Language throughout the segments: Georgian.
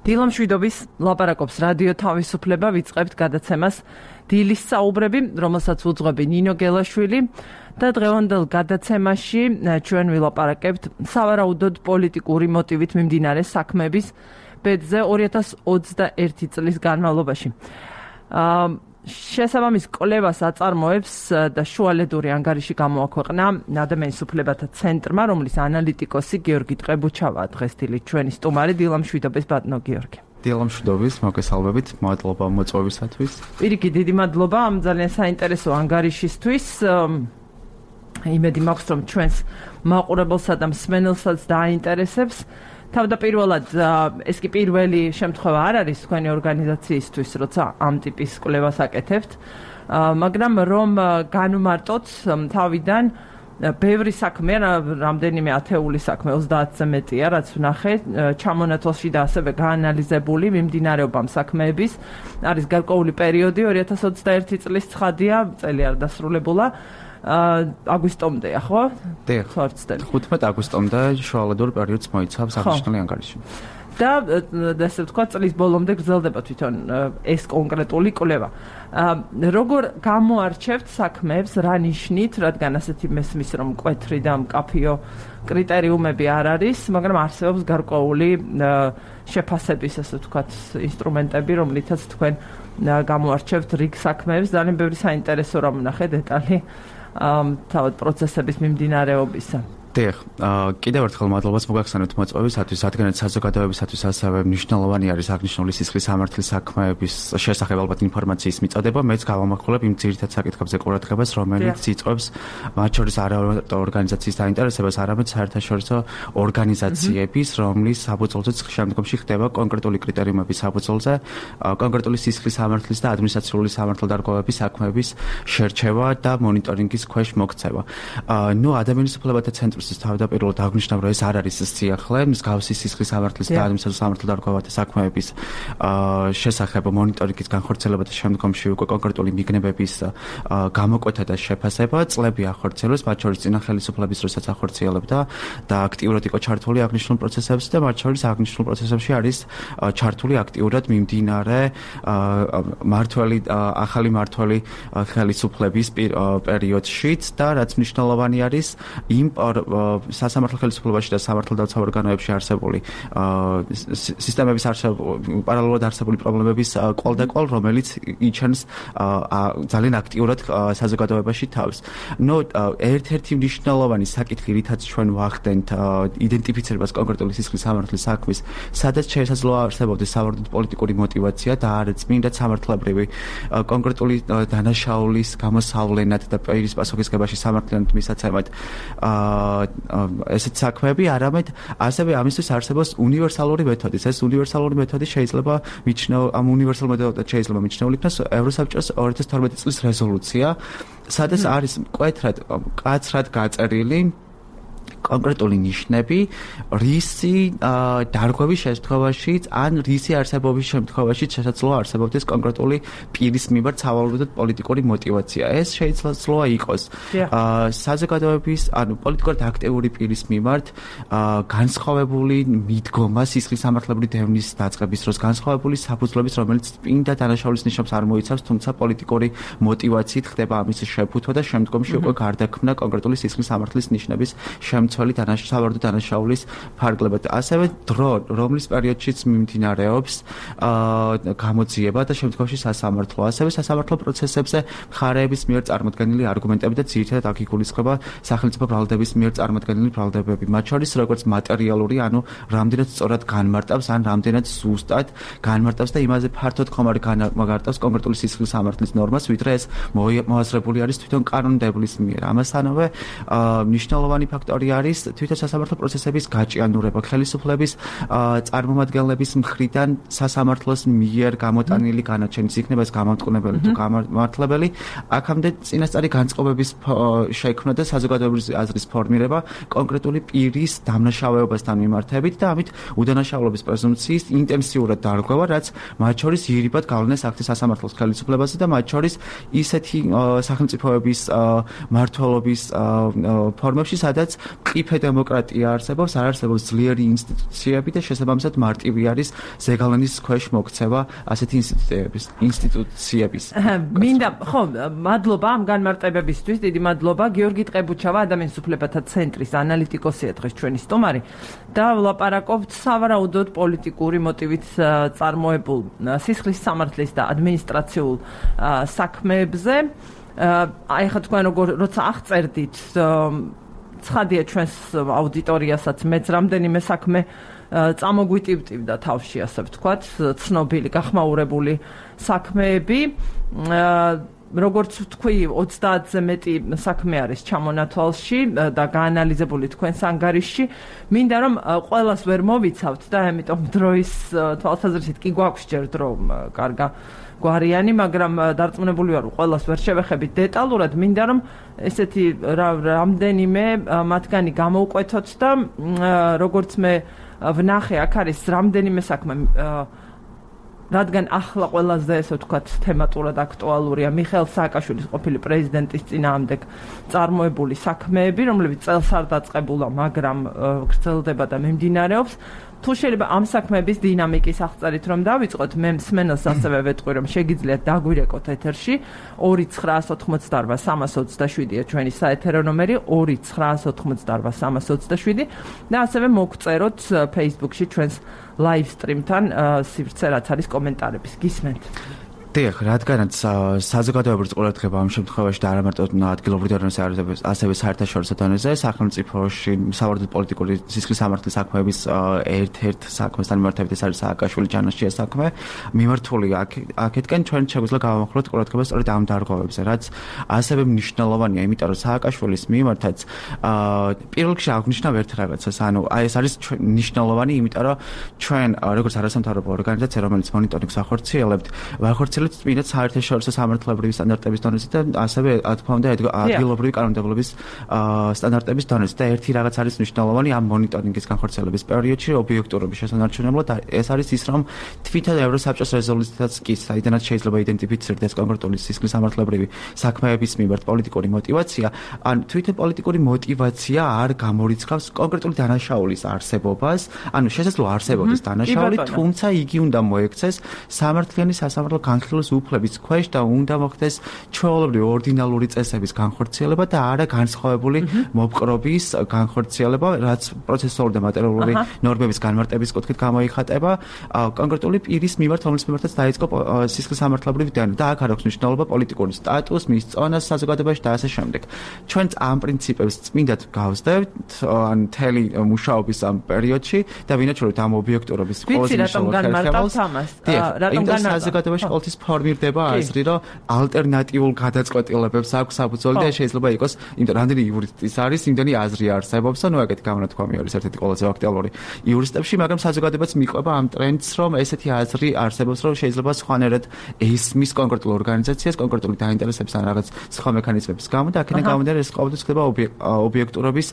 დილამშვიდობის ლაპარაკობს რადიო თავისუფლება, ვიწყებთ გადაცემას დილის საუბრები, რომელსაც უძღვები ნინო გელაშვილი და დღევანდელ გადაცემაში ჩვენ ვილაპარაკებთ სავარაუდოდ პოლიტიკური მოტივით მიმდინარე საქმეების ბედზე 2021 წლის განმავლობაში. შესაბამის კვლევას აწარმოებს და შუალედური ანგარიში გამოაქვეყნა ადამიანის უფლებათა ცენტრმა, რომლის ანალიტიკოსი გიორგი ტყებუჩავა დღეს დილით ჩვენი სტუმარი. დილამშვიდობის ბატონო გიორგი. დილამშვიდობის, მოგესალმებით, მადლობა მოწვევისათვის. პირიქით, დიდი მადლობა ამ ძალიან საინტერესო ანგარიშისთვის. იმედი მაქვს, რომ ჩვენს მაყურებელსა და მსმენელსაც დააინტერესებს. თავდაპირველად ეს კი პირველი შემთხვევა არ არის თქვენი ორგანიზაციისთვის, როცა ამ ტიპის კვლევას აკეთებთ, მაგრამ რომ განვმარტოთ თავიდან ბევრი საქმე, რამდენიმე ათეული საქმე, 30-ზე მეტია, რაც ვნახე ჩამონათვალში და ასევე გაანალიზებული მიმდინარეობა ამ საქმეების. არის გარკვეული პერიოდი 2021 წლის ცხადია, წელი არ დასრულებულა. აგვისტომდეა, ხო? დიახ. 15 აგვისტომდე შუალედურ პერიოდს მოიცავს აღნიშნული ანგარიში. და ასე ვთქვათ, წლის ბოლომდე გრძელდება თვითონ ეს კონკრეტული კვლევა. როგორ გამოარჩევთ საქმეებს, რა ნიშნით, რადგან ასეთი მესმის, რომ მკვეთრი და მკაფიო კრიტერიუმები არ არის, მაგრამ არსებობს გარკვეული შეფასების, ასე ვთქვათ, ინსტრუმენტები, რომლითაც თქვენ გამოარჩევთ რიგ საქმეებს. ძალიან ბევრი საინტერესო რამ ვნახე დეტალი თავად პროცესების მიმდინარეობისა. დიახ, კიდევ ერთხელ მადლობას მოგახსენებთ მოწვევისათვის, რადგანაც საზოგადოებისათვის ასევე მნიშვნელოვანი არის აღნიშნული სისხლის სამართლის საქმეების შესახებ ალბათ ინფორმაციის მიწოდება. მეც გავამახვილებ იმ ძირითად საკითხებზე ყურადღებას, რომელიც იწვევს მათ შორის არა ორგანიზაციის დაინტერესებას, არამედ საერთაშორისო ორგანიზაციების, რომლის საფუძველზეც შემდგომში ხდება კონკრეტული კრიტერიუმების საფუძველზე კონკრეტული სისხლის სამართლის და ადმინისტრაციული სამართალდარღვევების საქმეების შერჩევა და მონიტორინგის ქვეშ მოქცევა. ადამიანის უფლებათა ცენტრს თავდაპირველად აღნიშნავ, რომ ეს არ არის სიახლე, მსგავსი სისხლის სამართლის და ადმინისტრაციული სამართალდარღვევათა საქმეების შესახებ მონიტორინგის განხორციელება და შემდგომში უკვე კონკრეტული მიგნებების გამოკვეთა და შეფასება წლები ახორციელებს, მათ შორის წინა ხელისუფლების დროსაც ახორციელებდა და აქტიურად იყო ჩართული აღნიშნულ პროცესებში და მათ შორის აღნიშნულ პროცესებში არის ჩართული აქტიურად მიმდინარე ახალი მმართველი ხელისუფლების პერიოდშიც და რაც მნიშვნელოვანი არის იმ სასამართლო ხელისუფლებაში და სამართალდაცვა ორგანოებში არსებული სისტემების პარალელურად არსებული პრობლემების კვალდაკვალ, რომელიც იჩენს ძალიან აქტიურად საზოგადოებაში თავს. ერთ-ერთი მნიშვნელოვანი საკითხი, რითაც ჩვენ ვახდენთ იდენტიფიცირებას კონკრეტული სისხლის სამართლის საქმის, სადაც შესაძლოა არსებობდეს სავარაუდოდ პოლიტიკური мотиваცია და არის წმინდა სამართლებრივი კონკრეტული დანაშაულის გამოსავლენად და პირის პასუხისგებაში სამართლიანად მისაცემად ესეთ საქმეები, არამედ ასევე ამისთვის არსებობს უნივერსალური მეთოდი. ეს უნივერსალური მეთოდი შეიძლება ამ უნივერსალურ მეთოდად შეიძლება მიჩნეულ იქნას ევროსაბჭოს 2012 წლის რეზოლუცია, სადაც არის მკვეთრად კაცრად გაწერილი კონკრეტული ნიშნები, რისი დარღვევის შემთხვევაშიც ან რისი არსებობის შემთხვევაშიც შესაძლოა არსებობდეს კონკრეტული პირის მიმართ სავარაუდოდ პოლიტიკური мотиваცია. ეს შეიძლება იყოს საზოგადოების, ანუ პოლიტიკურად აქტიური პირის მიმართ განსხვავებული მიდგომა სისხლის სამართლებრივი დევნის დაწყების დროს, განსხვავებული საფუძვლების, რომელიც წმინდა დანაშაულის ნიშნებს არ მოიცავს, თუმცა პოლიტიკური мотиваციით ხდება ამის შეფუთვა და შემდგომში უკვე გარდაქმნა კონკრეტული სისხლის სამართლის ნიშნების შემცველი სავარაუდო დანაშაულის ფარგლება. ასევე დრო, რომლის პერიოდშიც მიმდინარეობს გამოძიება და შემდგომში სასამართლო. ასევე სასამართლო პროცესებზე მხარეების მიერ წარმოდგენილი არგუმენტები და ძირითადად აქ იგულისხმება სახელმწიფო ბრალდების მიერ წარმოდგენილი ბრალდებები. მათ შორის როგორც მატერიალური, ანუ რამდენად სწორად განმარტავს, ან რამდენად ზუსტად განმარტავს და იმაზე ფართოდ ხომ არ განმარტავს კონკრეტული სისხლის სამართლის ნორმას, ვიდრე ეს მოაზრებული არის თვითონ კანონმდებლის მიერ. ამასთანავე მნიშვნელოვანი ფაქტორი არის თვითონ სასამართლო პროცესების გაჭიანურება, ხელისუფლების წარმომადგენლების მხრიდან სასამართლოს მიერ გამოტანილი განაჩენის იქნება ეს გამამტყუნებელი თუ გამართლებელი, აქამდე წინასწარი განწყობების შექმნა და საზოგადოების აზრის ფორმირება კონკრეტული პირის დამნაშავეობასთან მიმართებით და ამით უდანაშაულობის პრეზუმპციის ინტენსიურად დარღვევა, რაც მათ შორის ირიბად გავლენას ახდენს სასამართლოს ხელისუფლებაზე და მათ შორის ისეთი სახელმწიფოების მმართველობის ფორმებში, სადაც მყიფე დემოკრატია არსებობს, არ არსებობს ძლიერი ინსტიტუციები და შესაბამისად მარტივი არის ზეგავლენის ქვეშ მოქცევა ასეთი ინსტიტუციების. მინდა ხო, მადლობა ამ განმარტებებისთვის, დიდი მადლობა. გიორგი ტყებუჩავა, ადამიანის უფლებათა ცენტრის ანალიტიკოსია დღეს ჩვენი სტუმარი და ვლაპარაკობთ სავარაუდოდ პოლიტიკური მოტივით წარმოებულ სისხლის სამართლის და ადმინისტრაციულ საქმეებზე. აი ხა თქვენ როცა აღწერდით ცხადია ჩვენს აუდიტორიასაც მეც რამდენიმე საქმე წამოგვიტივტივდა თავში, ასე ვთქვათ, ცნობილი, გახმაურებული საქმეები. როგორც თქვი, 30-ზე მეტი საქმე არის ჩამონათვალში და გაანალიზებული თქვენს ანგარიშში. მინდა რომ ყველას ვერ მოვიცავთ და ამიტომ დროის თვალსაზრისით კი გვაქვს ჯერ დრო კარგა გვარიანი, მაგრამ დარწმუნებული ვარ, ყველას ვერ შევეხებით დეტალურად. მინდა რომ ესეთი რამდენიმე მათგანი გამოვკვეთოთ და როგორც მე ვნახე, აქ არის რამდენიმე საქმე, რადგან ახლა ყველაზე ესე ვთქვათ თემატურად აქტუალურია მიხეილ სააკაშვილის ყოფილი პრეზიდენტის წინააღმდეგ წარმოებული საქმეები, რომლებიც წელს არ დაწყებულა, მაგრამ გრძელდება და მიმდინარეობს. თუ შეიძლება ამ საქმეების დინამიკის აღწერით რომ დავიწყოთ, მე მსმენელს ასევე ვეტყვი რომ შეგიძლიათ დაგვირეკოთ ეთერში 2988327-ია ჩვენი საეთერო ნომერი 2988327 და ასევე მოგწეროთ Facebook-ში ჩვენს live stream-თან სივრცე რაც არის კომენტარების. გისმენთ. დიახ, რადგანაც საზოგადოებრივი ყურადღება ამ შემთხვევაში და არა მარტო ადგილობრივ დონეზე, ასევე საერთაშორისო დონეზე, სახელმწიფოში სავარაუდოდ პოლიტიკური სისხლის სამართლის საქმეების ერთ-ერთ საქმესთან მიმართებით ეს არის სააკაშვილის ჯანაშია საქმე. მიმართული აქეთკენ ჩვენ შეგვიძლია გავამახვილოთ ყურადღება სწორედ ამ დარღვევებზე, რაც ასევე მნიშვნელოვანია, იმიტომ რომ სააკაშვილის მიმართაც პირველ რიგში აღნიშნავ ერთ რაღაცას, ანუ ეს არის მნიშვნელოვანი, იმიტომ რომ ჩვენ როგორც არასამთავრობო ორგანიზაცია, რომელიც მონიტორინგს ახორციელებთ, წმინდა საერთაშორისო სამართლებრივი სტანდარტების დონეზე და ასევე თქმა უნდა ადგილობრივი კანონმდებლობის სტანდარტების დონეზე და ერთი რაღაც არის მნიშვნელოვანი ამ მონიტორინგის განხორციელების პერიოდში ობიექტურობის შესანარჩუნებლად ეს არის ის რომ თვითონ ევროსაბჭოს რეზოლუციაც კი საიდანაც შეიძლება იდენტიფიცირდეს კონკრეტული სისხლის სამართლებრივი საქმეების მიმართ პოლიტიკური мотиваცია, ან თვითონ პოლიტიკური мотиваცია არ გამორიცხავს კონკრეტული დანაშაულის არსებობას, ანუ შესაძლოა არსებობდეს დანაშაული, თუმცა იგი უნდა მოექცეს სამართლიანი სასამართლო განხილვის უფლების ქვეშ და უნდა მოხდეს ჩვეულებრივი ორდინალური წესების განხორციელება და არა განსხვავებული მოპყრობის განხორციელება, რაც პროცესუალური და მატერიალური ნორმების განმარტების კუთხით გამოიხატება კონკრეტული პირის მიმართ, რომლის მიმართაც დაიწყო სისხლის სამართლებრივი დენა და აქ არ აქვს მნიშვნელობა პოლიტიკური სტატუს, მის წონას საზოგადოებაში და ასე შემდეგ. ჩვენც ამ პრინციპებს წმინდად გავსდევთ ან მთელი მუშაობის ამ პერიოდში და ვინაჩვენებთ ამ ობიექტურობის ყველაზე მნიშვნელოვან ხერხემალს. რატომ საზოგადოებაში ყოველთვის ფორმირდება აზრი, რომ ალტერნატიულ გადაწყვეტილებებს აქვს საბრძოლო და შეიძლება იყოს, იმიტომ რამდენი იურისტის არის, იმდენი აზრი არსებობს, ანუ ეგეთი გამონათქვამი არის ერთ-ერთი ყველაზე აქტუალური იურისტებში, მაგრამ საზოგადოებაც მიყვება ამ ტრენდს, რომ ესეთი აზრი არსებობს, რომ შეიძლება სხვანაირად ესმის კონკრეტულ ორგანიზაციას, კონკრეტული დაინტერესების ან რაღაც სხვა მექანიზმების გამო და აქედან გამომდინარე ეს ყოველთვის ხდება ობიექტურობის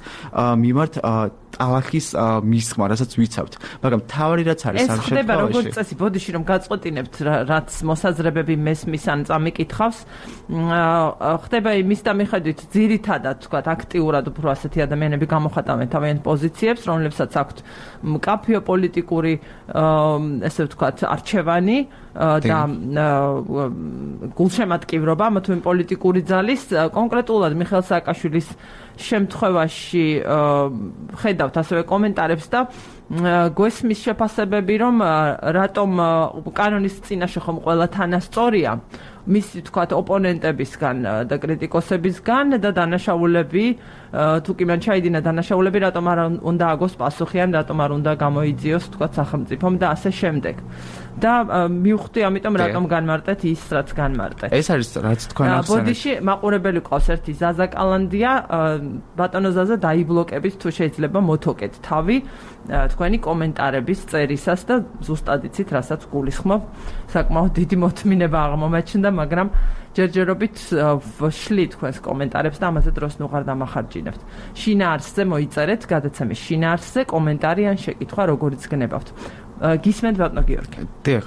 მიმართ ტალახის მისხმა, რასაც ვიცავთ. მაგრამ თავი რაც არის ამ შემთხვევაში. ეს ხდება როგორც წესი, ბოდიში რომ გაწყვეტინებთ, რაც მოსაზრებები მესმის ან წამიკითხავს, ხდება იმის და მიხედვით ძირითადად, თქვათ, აქტიურად უფრო ასეთი ადამიანები გამოხატავენ თავიანთ პოზიციებს, რომლებსაც აქვთ მკაფიო პოლიტიკური, ესე ვთქვათ, არჩევანი და გულშემატკივრობა, ამა თუ იმ პოლიტიკური ძალის, კონკრეტულად მიხეილ სააკაშვილის შემთხვევაში ხედავთ ასევე კომენტარებს და გვესმის შეფასებები, რომ რატომ კანონის წინაშე ხომ ყველა თანასწორია მისი თქვათ ოპონენტებისგან და კრიტიკოსებისგან და დანაშაულები თუ კი მან ჩაიდინა დანაშაულები, რატომ არ უნდა აგოს პასუხი ან რატომ არ უნდა გამოიძიოს თქვათ სახელმწიფომ და ასე შემდეგ. და მივხვდი ამიტომ რატომ განმარტეთ ის რაც განმარტეთ. ეს არის რაც თქვენ ახსენეთ. ბოდიში მაყურებელი ყავს ერთი ზაზა კალანდია, ბატონო ზაზა დაიბლოკებით თუ შეიძლება მოთოკეთ თავი თქვენი კომენტარების წერისას და ზუსტად იცით რასაც გულისხმობ. საკმაოდ დიდი მოთმინება აღმომაჩნდა, მაგრამ ჯერჯერობით ვშლი თქვენს კომენტარებს და ამაზე დროს ნუღარ დამახარჯინებთ. შინაარსზე მოიწერეთ გადაცემის შინაარსზე კომენტარი ან შეკითხვა როგორიც გნებავთ. გისმენთ ბატონო გიორგი. დიახ,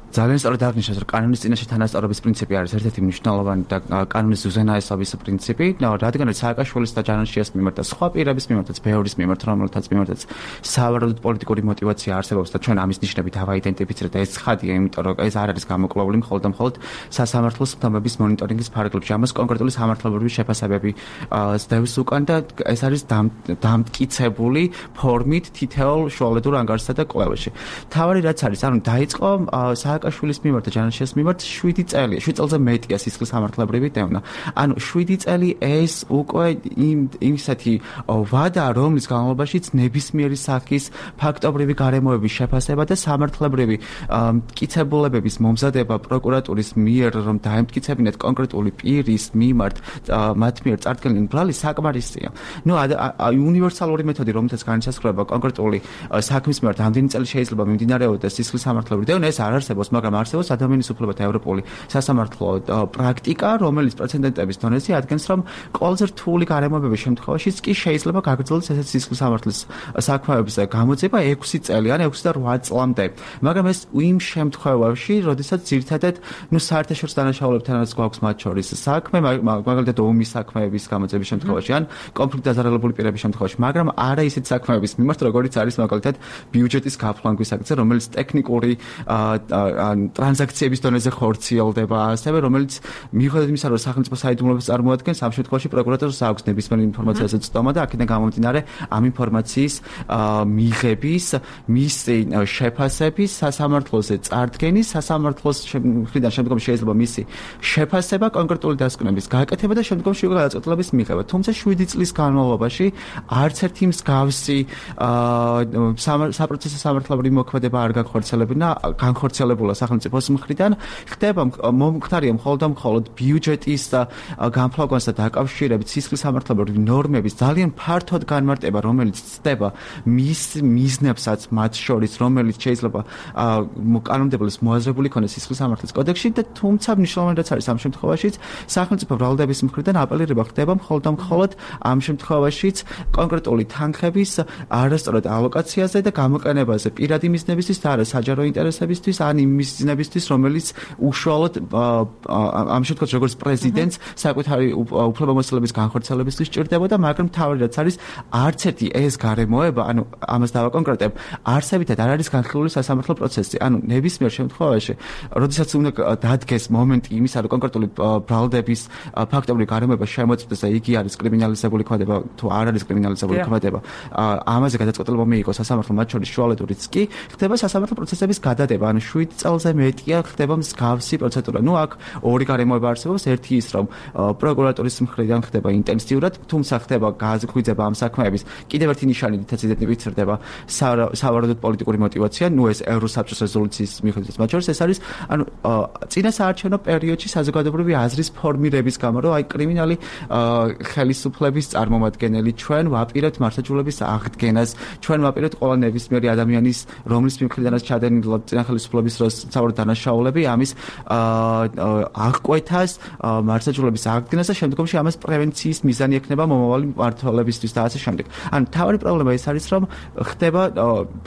ძალიან სწორად აღნიშნეთ, რომ კანონის წინაშე თანასწორობის პრინციპი არის ერთ-ერთი მნიშვნელოვანი და კანონის უზენაესობის პრინციპი, რადგან სააკაშვილის და ჯანაშიას მიმართ და სხვა პირების მიმართაც, ბევრის მიმართ, რომელთაც მიმართაც სავარაუდოდ პოლიტიკური мотиваცია არსებობს და ჩვენ ამის ნიშნები დავაიდენტიფიცირეთ და ეს ცხადია, იმიტომ რომ ეს არ არის გამოკლებული მხოლოდ და მხოლოდ სასამართლოს ხდომების მონიტორინგის ფარგლებში. ამას კონკრეტული სამართლებრივი შეფასებები ზდევს უკან და ეს არის დამტკიცებული ფორმით თითოეულ შუალედურ ანგარიშსა და კვლევაში. თავარი რაც არის, ანუ დაიწყო სააკაშვილის მიმართ და ჯანაშიას მიმართ 7 წელი, 7 წელზე მეტია სისხლის სამართლებრივი დევნა. ანუ 7 წელი ეს უკვე იმისეთი ვადა, რომლის განმავლობაშიც ნებისმიერი სახის ფაქტობრივი გარემოების შეფასება და სამართლებრივი მტკიცებულებების მომზადება პროკურატურის მიერ, რომ დაემტკიცებინათ კონკრეტული პირის მიმართ მათ მიერ წარდგენილი ბრალი საკმარისია. უნივერსალური მეთოდი, რომელთაც განისაზღვრება კონკრეტული საქმის მიმართ ამდენი წელი შეიძლება მიმდინარეობდეს სისხლის სამართლებრივი დევნა, ეს არ არსებობს, მაგრამ არსებობს ადამიანის უფლებათა ევროპული სასამართლო პრაქტიკა, რომელიც პრეცედენტების დონეზე ადგენს, რომ ყველაზე რთული გარემოებების შემთხვევაშიც კი შეიძლება გაგრძელდეს ესეთ სისხლის სამართლის საქმეების გამოძიება 6 წელი ან 6 და 8 წლამდე. მაგრამ ეს იმ შემთხვევაში, როდესაც ძირითადად საერთაშორისო დანაშაულებთანაც გვაქვს მათ შორის საქმე, მაგალითად ომის საქმეების გამოძიების შემთხვევაში ან კონფლიქტ დაზარალებული პირების შემთხვევაში, მაგრამ არა ისეთ საქმეების მიმართ, როგორიც არის მაგალითად ბიუჯეტის გაფლანგვის აქცია, რომელიც ტექნიკური ტრანზაქციების დონეზე ხორციელდება, ასევე რომელიც მიუხედავად იმისა, რომ სახელმწიფო საიდუმლოებას წარმოადგენს, ამ შემთხვევაში პროკურატურას აქვს ნებისმიერი ინფორმაციაზე ცდომა და აქედან გამომდინარე ამ ინფორმაციის მიღების, მისი შეფასების, სასამართლოზე წარდგენის, სასამართლოს მხრიდან შემდგომ შეიძლება მისი შეფასება, კონკრეტული დასკვნების გაკეთება და შემდგომში უკვე გადაწყვეტილების მიღება. თუმცა 7 წლის განმავლობაში არც ერთი მსგავსი საპროცესო სამართლებრივი მოქმედება არ განხორციელებულა სახელმწიფოს მხრიდან. ხდება მომხდარია მხოლოდ ბიუჯეტის განფლავგანს და დაკავშირებით სისხლის სამართლებრივი ნორმების ძალიან ფართოდ განმარტება, რომელიც ცდება მის მიზნებსაც მათ შორის, რომელიც შეიძლება კანონმდებლობის მოაზრებული იქონეს სისხლის სამართლის კოდექსში და თუმცა მნიშვნელოვანი რაც არის ამ შემთხვევაშიც სახელმწიფო ბრალდების მხრიდან აპელირება ხდება მხოლოდ ამ შემთხვევაშიც კონკრეტული თანხების არასწორად ალოკაციაზე და გამოყენებაზე პირადი მიზნებისთვის და არა საჯარო ინტერესებისთვის ან იმ მიზნებისთვის, რომელიც უშუალოდ ამ შემთხვევაში როგორც პრეზიდენტს საკუთარი უფლებამოსილების განხორციელებისთვის ჭირდებოდა, მაგრამ თავი რაც არის არც ერთი ეს გარემოება, ანუ ამას დავაკონკრეტებ, არსებითად არ არის განხილული სასამართლო პროცესი. ანუ ნებისმიერ შემთხვევაში, როდესაც უნდა დადგეს მომენტი იმისა, რომ კონკრეტული ბრალდების ფაქტობრივი გარემოება შემოწმდეს და იგი არის კრიმინალიზებული ქმედება თუ არ არის კრიმინალიზებული ქმედება, ამაზე გადაწყვეტილება მიიღოს სასამართლო, მათ შორის შუალედურიც კი, ხდება სასამართლო პროცესების გადადება, ანუ 7 წელზე მეტია ხდება მსგავსი პროცედურა. აქ ორი გარემოება არსებობს, ერთი ის, რომ პროკურატურის მხრიდან ხდება ინტენსიურად, თუმცა ხდება გაზღვიძება ამ საქმეების. კიდევ ერთი ნიშანი, რითაც იდენტიფიცირდება სავარაუდოდ პოლიტიკური мотиваცია, ეს ევროსაბჭოს რეზოლუციის მიხედვით მათ შორის ეს არის, ანუ წინა საარჩევნო პერიოდში საზოგადოებრივი აზრის ფორმირების გამო, რომ კრიმინალი ხელისუფლების წარმომადგენელი ჩვენ ვაპირებთ მართლმსაჯულების აღდგენას, ჩვენ ვაპირებთ ყველა ნებისმიერი ადამიანის, რომლის მხრიდანაც ჩადენილი წინა ხელისუფლების დროს სავარაუდო დანაშაულები, ამის აღკვეთას, მართლმსაჯულების აღდგენას და შემდგომში ამას პრევენციის მიზანი ექნება მომავალი მმართველებისთვის და ასე შემდეგ. ანუ თავარი პრობლემა ეს არის, რომ ხდება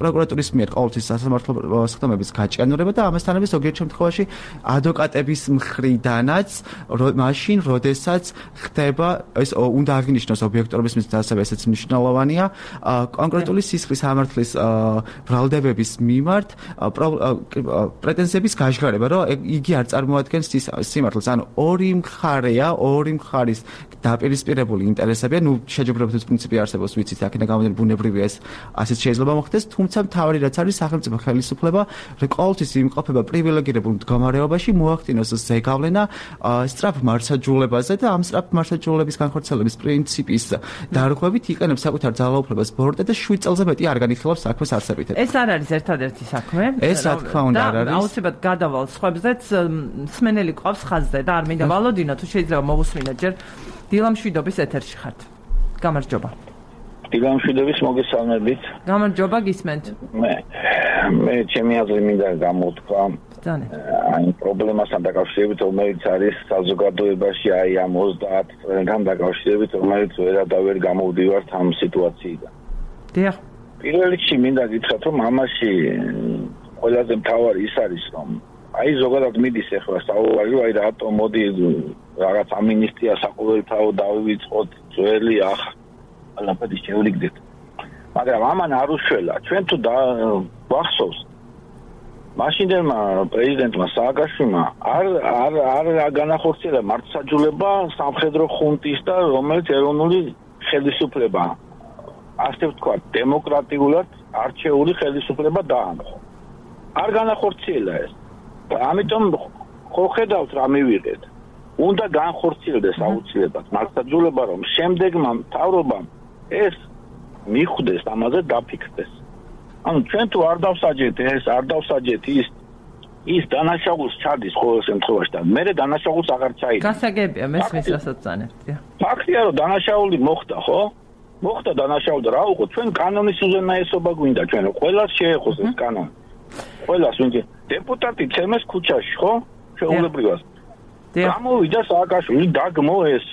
პროკურატურის მიერ ყოველთვის სასამართლო სხდომების გაჭიანურება და ამასთანავე ზოგიერთ შემთხვევაში ადვოკატების მხრიდანაც მაშინ, როდესაც ხდება ეს უნდა აღინიშნოს ობიექტურობის მიზნით, ასევე ესეც მნიშვნელოვანია, კონკრეტული სისხლის სამართლის ბრალდებების მიმართ პრეტენზიების გაჟღერება, რომ იგი არ წარმოადგენს სიმართლეს. ანუ ორი მხარის დაპირისპირებული ინტერესებია, შეჯიბრებითი პრინციპი არსებობს, ვიცით, აქედან გამომდინარე ბუნებრივია ეს ასეც შეიძლება მოხდეს, თუმცა მთავარი რაც არის სახელმწიფო ხელისუფლება, ყოველთვის იმყოფება პრივილეგირებულ მდგომარეობაში, მოახდინოს ზეგავლენა სწრაფ მართლმსაჯულებაზე და ამ სწრაფ მართლმსაჯულების განხორციელების პრინციპის დარღვევით იყენებს საკუთარ ძალაუფლებას ბორტე და 7 წელზე მეტი არ განიხილავს საქმეს არსებითად. ეს არ არის ერთადერთი საქმე. ეს რა თქმა უნდა არ არის. აუცილებლად გადავალ სხვებზეც მსმენელი ყავს ხაზზე და არ მინდა ვალოდინო, თუ შეიძლება მოვუსმინოთ ჯერ დილამშვიდობის ეთერში ხართ. გამარჯობა. დილამშვიდობის მოგესალმებით. გამარჯობა, გისმენთ. მე ჩემი აზრი მინდა გამოთქვა. აი პრობლემასთან დაკავშირებით, რომელიც არის საზოგადოებაში, აი ამ 30 წლთან დაკავშირებით, რომელიც ვერადავერ გამოვდივართ ამ სიტუაციიდან. დიახ. პირველ რიგში მინდა გითხრათ, რომ ამაში ყველაზე მთავარი ის არის, რომ აი ზოგადად მიდის ახლა საუბარი, აი რატომ მოდი რაღაც ამინისტია საყოველთაო დავივიწყოთ ძველი ყველაფერი შევრიგდეთ. მაგრამ ამან არ უშველა. ჩვენ თუ ვახსოვს მაშინდელმა პრეზიდენტმა სააკაშვილმა არ განახორციელა მართლმსაჯულება სამხედრო ხუნტის და რომელიც ეროვნული ხელისუფლება ასე ვთქვათ დემოკრატიულად არჩეული ხელისუფლება დაამხო. არ განახორციელა ეს. ამიტომ ხო ხედავთ რა მივიღეთ. უნდა განხორციელდეს აუცილებლად მართლმსაჯულება, რომ შემდეგმა მთავრობამ ეს მიხვდეს, ამაზე დაფიქრდეს. ანუ ჩვენ თუ არ დავსაჯეთ ეს, არ დავსაჯეთ ის დანაშაულს ჩადის ყოველ შემთხვევაში და მე დანაშაულს აღარ ჩაიდგა. გასაგებია, მესმის რასაც წანებთ. ფაქტია, რომ დანაშაული მოხდა, ხო? მოხდა დანაშაული და რა უყო, ჩვენ კანონის უზენაესობა გვინდა, ჩვენ ყველას შეეხოს ეს კანონი. ყველას ვინც დეპუტატი ცემეს ქუჩაში, ხო? შეულებრივად. გამოვიდა სააკაშვილი, დაგმო ეს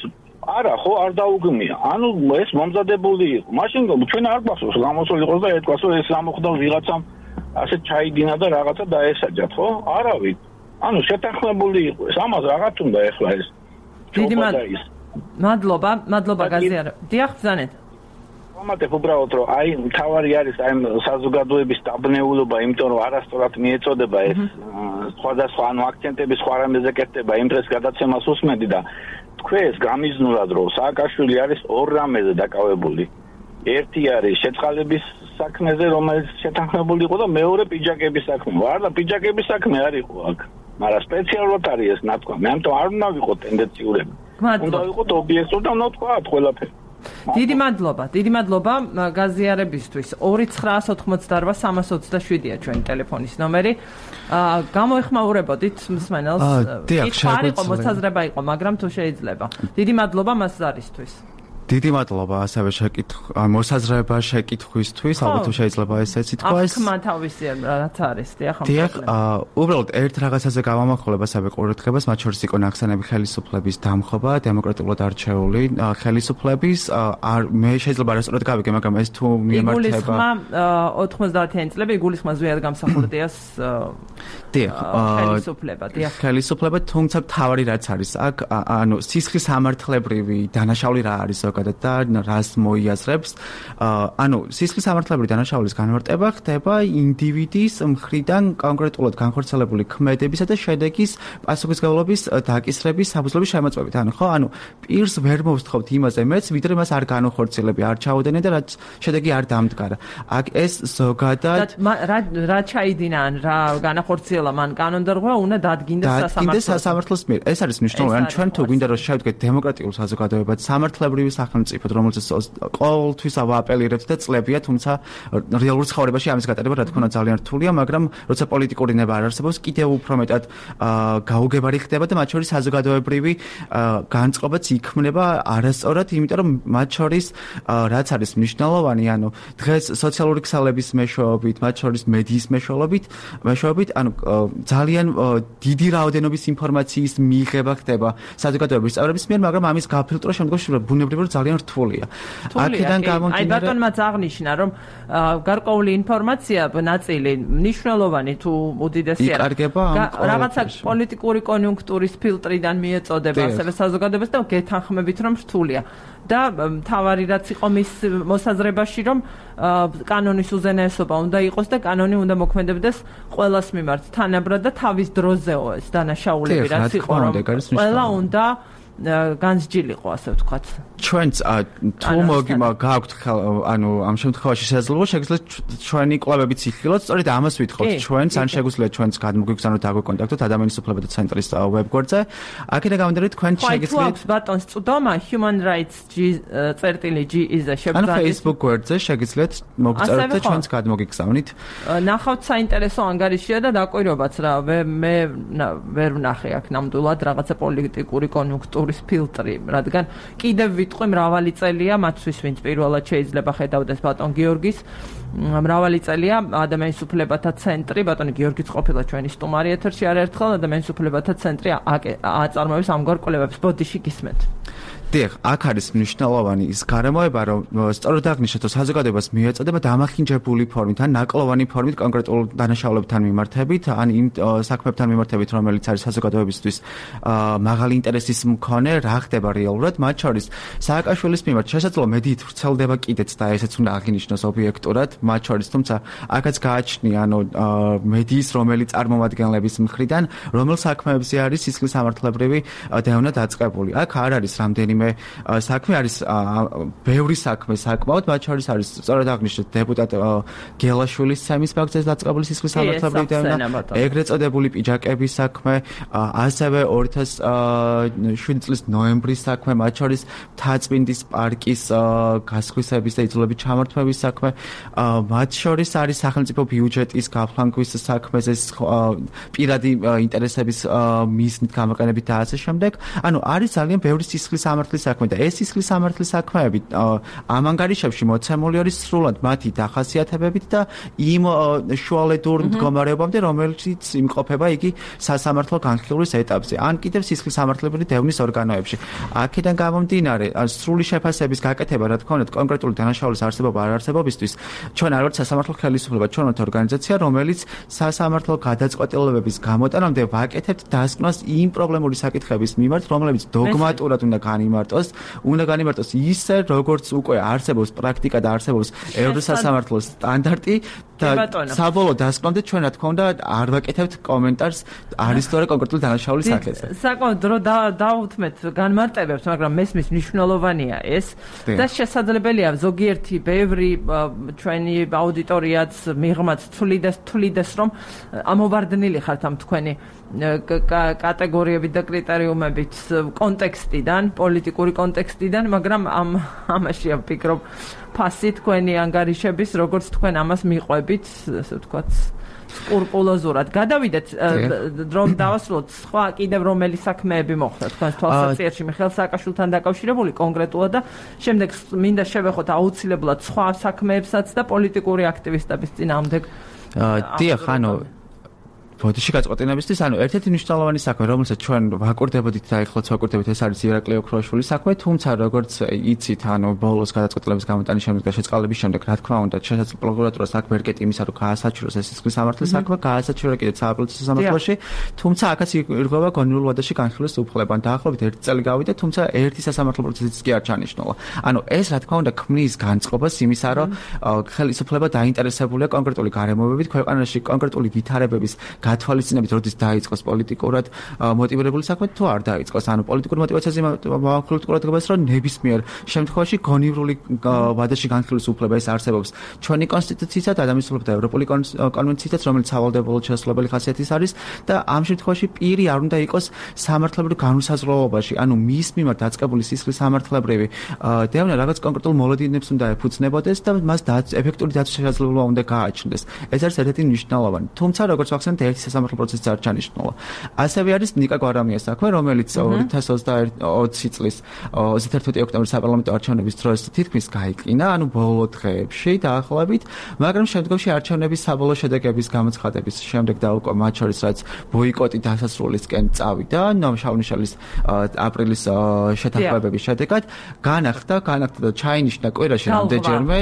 არა ხო არ დაუგმია. ანუ ეს მომზადებული იყო. მაშინ ჩვენ არ გვახსოვს გამოსული იყოს და ეთქვას რომ ეს ამოხდა ვიღაცამ ასე ჩაიდინა და რაღაცა დაესაჯათ, ხო? არავით. ანუ შეთანხმებული იყო. ეს ამას რაღაც უნდა ეხლა ეს. დიდი მადლობა გაზიარა. დიახ, ბრძანეთ. ვამატებ უბრალოდ რომ აი მთავარი არის აი საზოგადოების დაბნეულობა, იმიტომ რომ არასწორად მიეწოდება ეს სხვადასხვა ანუ აქცენტები სხვა რამეზე კეთდება, იმ დღეს გადაცემას უსმენდი და თქვენს გამიზნულად რომ სააკაშვილი არის ორ რამეზე დაკავებული. ერთი არის შეწყალების საქმეზე, რომელიც შეთანხმებული იყო და მეორე პიჯაკების საქმე. არა, პიჯაკების საქმე არ იყო აქ. მაგრამ სპეციალურად არის ეს ნათქვამი. ამიტომ არ უნდა ვიყოთ ტენდენციურები. უნდა ვიყოთ ობიექტური და უნდა ვთქვათ ყველაფერი. დიდი მადლობა გაზიარებისთვის. 2988327-ია ჩვენი ტელეფონის ნომერი. გამოეხმაურებოდით მსმენელს. არ იყო მოსაზრება იყო, მაგრამ თუ შეიძლება. დიდი მადლობა მას ზარისთვის. დიდი მადლობა ასევე მოსაზრება შეკითხვისთვის, ალბათ შეიძლება ესეც ითქვას. აქ მათავისი რაც არის, დიახ. უბრალოდ ერთ რაღაცაზე გავამახვილებ ასევე ყურადღებას, მათ შორის იყო ნახსენები ხელისუფლების დამხობა, დემოკრატიულად არჩეული ხელისუფლების. მე შეიძლება არასწორად გავიგე, მაგრამ ეს თუ მიემართება 90-იანი წლები იგულისხმა ზვიად გამსახურდიას ხელისუფლება, თუმცა თავარი რაც არის აქ, ანუ სისხლის სამართლებრივი დანაშაული რა არის და რას მოიაზრებს. ანუ სისხლის სამართლებრივი დანაშაულის განმარტება ხდება ინდივიდის მხრიდან კონკრეტულად განხორციელებული ქმედებისა და შედეგის პასუხისმგებლობის დაკისრების საფუძვლების შემოწმებით. ანუ პირს ვერ მოვსთხოვთ იმაზე მეც, ვიდრე მას არ განხორციელები, არ ჩაუდენენ და რაც შედეგი არ დამდგარა. აქ ეს ზოგადად რა ჩაიდინა ან რა განახორციელა მან კანონდარღვა უნდა დადგინდეს სასამართლოს მიერ. ეს არის მნიშვნელოვანი. ჩვენ თუ გვინდა რომ შევდგეთ დემოკრატიულ საზოგადოებად, სამართლებრივი სახელმწიფოდ, რომელზეც ყოველთვის ავაპელირებთ და წლებია, თუმცა რეალურ ცხოვრებაში ამის გატარება რა თქმა უნდა ძალიან რთულია, მაგრამ როცა პოლიტიკური ნება არ არსებობს, კიდევ უფრო მეტად გაუგებარი ხდება და მათ შორის საზოგადოებრივი განწყობაც იქმნება არასწორად, იმიტომ რომ მათ შორის რაც არის მნიშვნელოვანი, ანუ დღეს სოციალური ქსელების მეშვეობით, მათ შორის მედიის მეშვეობით, ანუ ძალიან დიდი რაოდენობის ინფორმაციის მიღება ხდება საზოგადოების წევრების მიერ, მაგრამ ამის გაფილტვრა შემდგომში ბუნებრივად ძალიან რთულია. აქედან გამომდინარე, აი ბატონმაც აღნიშნა, რომ გარკვეული ინფორმაცია ნაწილი მნიშვნელოვანი თუ უდიდესი რაღაცა პოლიტიკური კონიუნქტურის ფილტრიდან მიეწოდება ასევე საზოგადოებას და გეთანხმებით რომ რთულია. და თავარი რაც იყო მის მოსაზრებაში, რომ კანონის უზენაესობა უნდა იყოს და კანონი უნდა მოქმედებდეს ყველას მიმართ თანაბრად და თავის დროზეო ეს დანაშაულები რაც იყო, რომ ყველა უნდა განსჯილიყო, ასე ვთქვათ. ჩვენც თუ გააქვთ ანუ ამ შემთხვევაში შესაძლებლობა შეგვიძლია ჩვენი კვლევებიც იხილოთ, სწორედ ამას ვითხოვთ ჩვენც, ან შეგვიძლია ჩვენც გადმოგვიგზავნოთ დაგვეკონტაქტოთ ადამიანის უფლებათა ცენტრის ვებგვერდზე. აქედან გამომდინარე თქვენ შეგიძლიათ ბატონს წვდომა human rights.g is-ზე შეგიძლიათ ან Facebook გვერდზე შეგიძლიათ მოგწეროთ და ჩვენც გადმოგიგზავნით. ნახავთ საინტერესო ანგარიშია და დაკვირვებაც რა, მე ვერ ვნახე აქ ნამდვილად რაღაცა პოლიტიკური კონიუნქტურის ფილტრი, რადგან კიდევ ვიტყვი მრავალი წელია მათთვის, ვინც პირველად შეიძლება ხედავდეს ბატონ გიორგის, მრავალი წელია ადამიანის უფლებათა ცენტრი, ბატონი გიორგიც ყოფილა ჩვენი სტუმარი ეთერში არაერთხელ, ადამიანის უფლებათა ცენტრი აწარმოებს ამგვარ კვლევებს. ბოდიში გისმენთ. დიახ, აქ არის მნიშვნელოვანი ის გარემოება, რომ სწორედ აღნიშნეთ, რომ საზოგადოებას მიეწოდება დამახინჯებული ფორმით, ან ნაკლოვანი ფორმით კონკრეტულ დანაშაულებთან მიმართებით, ან იმ საქმებთან მიმართებით, რომელიც არის საზოგადოებისთვის მაღალი ინტერესის მქონე, რა ხდება რეალურად, მათ შორის სააკაშვილის მიმართ შესაძლოა მედიით ვრცელდება კიდეც და ესეც უნდა აღინიშნოს ობიექტურად, მათ შორის, თუმცა აქაც გააჩნია, მედიის რომელი წარმომადგენლების მხრიდან, რომელ საქმეებზე არის სისხლის სამართლებრივი დევნა დაწყებული. აქ არ არის რამდენიმე საქმე, არის ბევრი საქმე საკმაოდ, მათ შორის არის სწორედ აღნიშნეთ დეპუტატ გელაშვილის ცემის ბაგზეზე დაწყებული სისხლის სამართლებრივი დევნა, ეგრეთ წოდებული პიჯაკების საქმე, ასევე 2007 წლის ნოემბრის საქმე, მათ შორის მთაწმინდის პარკის გასხვისების და იძულებით ჩამართვების საქმე, მათ შორის არის სახელმწიფო ბიუჯეტის გაფლანგვის საქმეზე პირადი ინტერესების მიზნით გამოყენებით და ასე შემდეგ. არის ძალიან ბევრი სისხლის სამართლის საქმე და ეს სისხლის სამართლის საქმეები ამ ანგარიშებში მოცემული არის სრულად მათი დახასიათებებით და იმ შუალედურ მდგომარეობამდე, რომელიც იმყოფება იგი სასამართლო განხილვის ეტაპზე, ან კიდევ სისხლის სამართლებრივი დევნის ორგანოებში. აქედან გამომდინარე, სრული შეფასების გაკეთება, რა თქმა უნდა, კონკრეტული დანაშაულის არსებობა არ არსებობისთვის, ჩვენ არ ვართ სასამართლო ხელისუფლება, ჩვენ ვართ ორგანიზაცია, რომელიც სასამართლო გადაწყვეტილებების გამოტანამდე ვაკეთებთ დასკვნას იმ პრობლემური საკითხების მიმართ, რომლებიც დოგმატურად უნდა განიმარტოს ისე, როგორც უკვე არსებობს პრაქტიკა და არსებობს ევროსასამართლოს სტანდარტი და საბოლოო დასკვნამდე ჩვენ რა თქმა უნდა არ ვაკეთებთ კომენტარს არის თორე კონკრეტული დანაშაულის საკითხზე. საკმაოდ დრო დაუთმეთ განმარტებებს, მაგრამ მესმის მნიშვნელოვანია ეს და შესაძლებელია ზოგიერთი ბევრი ჩვენი აუდიტორიაც მიღმაც თვლიდეს, რომ ამოვარდნილი ხართ ამ თქვენი კატეგორიებით და კრიტერიუმებით კონტექსტიდან, პოლიტიკური კონტექსტიდან, მაგრამ ამაში ვფიქრობ ფასი თქვენი ანგარიშების, როგორც თქვენ ამას მიყვებით, ასე ვთქვათ, სკრუპულოზურად. გადავიდეთ, რომ დავასრულოთ სხვა კიდევ რომელი საქმეები მოხდა თქვენს თვალსაჩინოში მიხეილ სააკაშვილთან დაკავშირებული კონკრეტულად და შემდეგ მინდა შევეხოთ აუცილებლად სხვა საქმეებსაც და პოლიტიკური აქტივისტების წინააღმდეგ. დიახ, ბოდიში გაწყვეტილებისთვის, ერთ-ერთი მნიშვნელოვანი საქმე, რომელსაც ჩვენ ვაკურდებოდით და ეხლაც ვაკურდებით, ეს არის ირაკლი ოქროაშვილის საქმე, თუმცა როგორც იცით, ბოლოს გადაწყვეტილების გამოტანის შემდეგ და შეწყალების შემდეგ, რა თქმა უნდა, შესაძლოა პროკურატურას აქ ვერ კეტი იმისა, რომ გაასაჩივროს ეს სისხლის სამართლის საქმე, გაასაჩივრა კიდეც სააპელაციო სამართლოში, თუმცა აქაც ირღვევა გონიურ ვადაში განხილვის უფლება. დაახლოებით 1 წელი გავიდა, თუმცა ერთი სასამართლო პროცესიც კი არ ჩანიშნულა. ეს რა თქმა უნდა ქმნის განწყობას იმისა, რომ ხელისუფლება დაინტერესებულია კონკრეტული გარემოებებით, ქვეყანაში კონკრეტული ვითარებების გათვალისწინებით, როდის დაიწყოს პოლიტიკურად მოტივირებული საქმე, თუ არ დაიწყოს. პოლიტიკურ მოტივაციაზე მოვახილოთ ყურადღებას, რომ ნებისმიერ შემთხვევაში გონივრული ვადაში განხილვის უფლება ეს არსებობს ჩვენი კონსტიტუციისა და ადამიანის უფლებათა ევროპული კონვენციითაც, რომელიც სავალდებულო შესაძლებელი ხასიათის არის და ამ შემთხვევაში პირი არ უნდა იყოს სამართლებრივ განუსაზღვროობაში, მის მიმართ დაწყებული სისხლის სამართლებრივი დევნა რაღაც კონკრეტულ მოლოდინებს უნდა ეფუძნებოდეს და მას ეფექტური დაცვის შესაძლებლობა უნდა გააჩნდეს. ეს არის ერთ-ერთი მნიშვნელოვანი. თუმცა როგორც ვახსენეთ, ერთი სასამართლო პროცესი არ ჩანიშნულა. ასევე არის ნიკა გვარამიას საქმე, რომელიც 2020 წლის 31 ოქტომბრის საპარლამენტო არჩევნების დროს თითქმის გაიყინა, ბოლო დღეებში დაახლოებით, მაგრამ შემდგომში არჩევნების საბოლოო შედეგების გამოცხადების შემდეგ და უკვე მათ შორის რაც ბოიკოტი დასასრულისკენ წავიდა, შავნიშალის აპრილის შეთანხმებების შედეგად განახდა და ჩაინიშნა კვირაში რამდენჯერმე,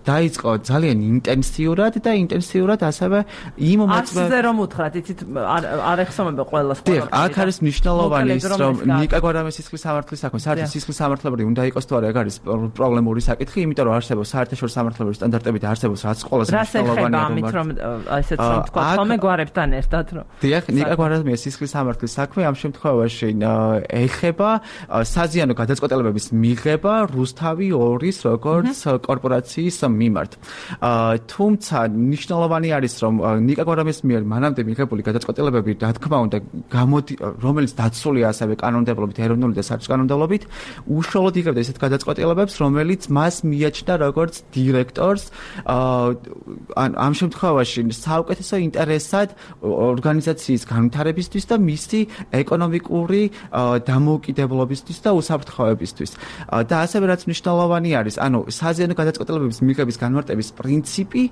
დაიწყო ძალიან ინტენსიურად ასევე იმ მოწმე რომ უთხრათ, იცით, არ ეხსოვება ყველას. აქ არის მნიშვნელოვანი ის, რომ ნიკა გვარამის სისხლის სამართლის საქმე, საერთოდ სისხლის სამართლებრივი უნდა იყოს თუ არა, ეგ არის პრობლემური საკითხი, იმიტომ რომ არსებობს საერთაშორისო სამართლებრივი სტანდარტები და არსებობს რაც ყველაზე მნიშვნელოვანია, რომ ასეც რომ თქვა, თომე გვარებთან ერთად რომ. დიახ, ნიკა გვარამის სისხლის სამართლის საქმე ამ შემთხვევაში ეხება საზიანო გადაწყვეტილებების მიღება რუსთავი 2-ის როგორც კორპორაციის მიმართ. თუმცა მნიშვნელოვანი არის, რომ ნიკა გვარამის მიერ მანამდე მიღებული გადაწყვეტილებები, რა თქმა უნდა, რომელიც დაცულია ასევე კანონმდებლობით, ეროვნული და საერთო კანონმდებლობით, უშუალოდ იღებდა ისეთ გადაწყვეტილებებს, რომელიც მას მიაჩნდა როგორც დირექტორს, ამ შემთხვევაში საუკეთესო ინტერესად ორგანიზაციის განვითარებისთვის და მისი ეკონომიკური დამოუკიდებლობისთვის და უსაფრთხოებისთვის. და ასევე რაც მნიშვნელოვანი არის, საზიანო გადაწყვეტილებების მიღების განმარტების პრინციპი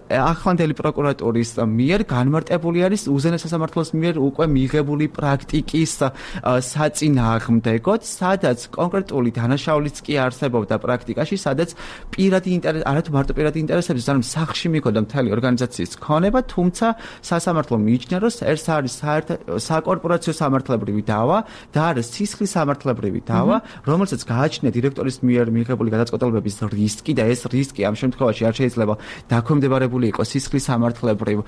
ახლანდელი პროკურატურის მიერ განმარტებული არის უზენაეს სასამართლოს მიერ უკვე მიღებული პრაქტიკის საწინააღმდეგოდ, სადაც კონკრეტული დანაშაულიც კი არსებობდა პრაქტიკაში, სადაც პირადი ინტერესი, არათუ მარტო პირადი ინტერესების, ანუ სახლში მიქონდა მთელი ორგანიზაციის ქონება, თუმცა სასამართლო მიიჩნია, რომ ეს არის საკორპორაციო სამართლებრივი დავა და არის სისხლის სამართლებრივი დავა, რომელსაც გააჩნია დირექტორის მიერ მიღებული გადაწყვეტილებების რისკი და ეს რისკი ამ შემთხვევაში არ შეიძლება დაქვემდებარებული იყოს სისხლის სამართლებრივ